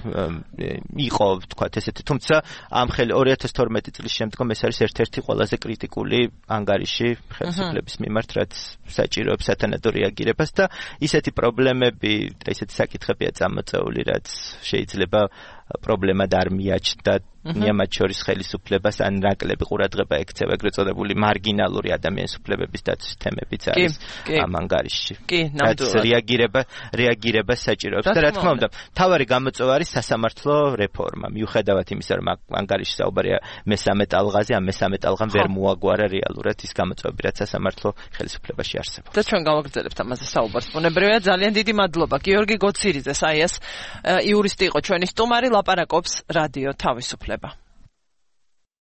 იყო თქვათ ესეთი თუმცა ამ 2012 წლის შემდგომ ეს არის ერთ-ერთი ყველაზე კრიტიკული ანგარიში ხელისუფლების მიმართ, რაც საჭიროებს სათანადო რეაგირებას და ისეთი პრობლემები და ისეთი საკითხებია წამოწეული, რაც შეიძლება პრობლემად არ მიაჩნდა ნიამად შორის ხელისუფლებას ან ნაკლები ყურადღება ექცევა ეგრეთ წოდებული მარგინალური ადამიანის უფლებების დაცვის თემებიც არის ამ ანგარიშში. კი, ნამდვილად. რეაგირება საჭიროებს და რა თქმა უნდა, მთავარი გამოწვევა არის სასამართლო რეფორმა. მიუხედავად იმისა, რომ ანგარიში საუბარია მესამე ტალღაზე, ამ მესამე ტალღამ ვერ მოაგვარა რეალურად ის გამოწვევები, რაც სასამართლო ხელისუფლებაში არსებობს. და ჩვენ გავაგრძელებთ ამაზე საუბარს. ბუნებრივია, ძალიან დიდი მადლობა გიორგი გოცირიძეს, აი ეს იურისტი იყო ჩვენი სტუმარი, ლაპარაკობს რადიო თავისუფლება.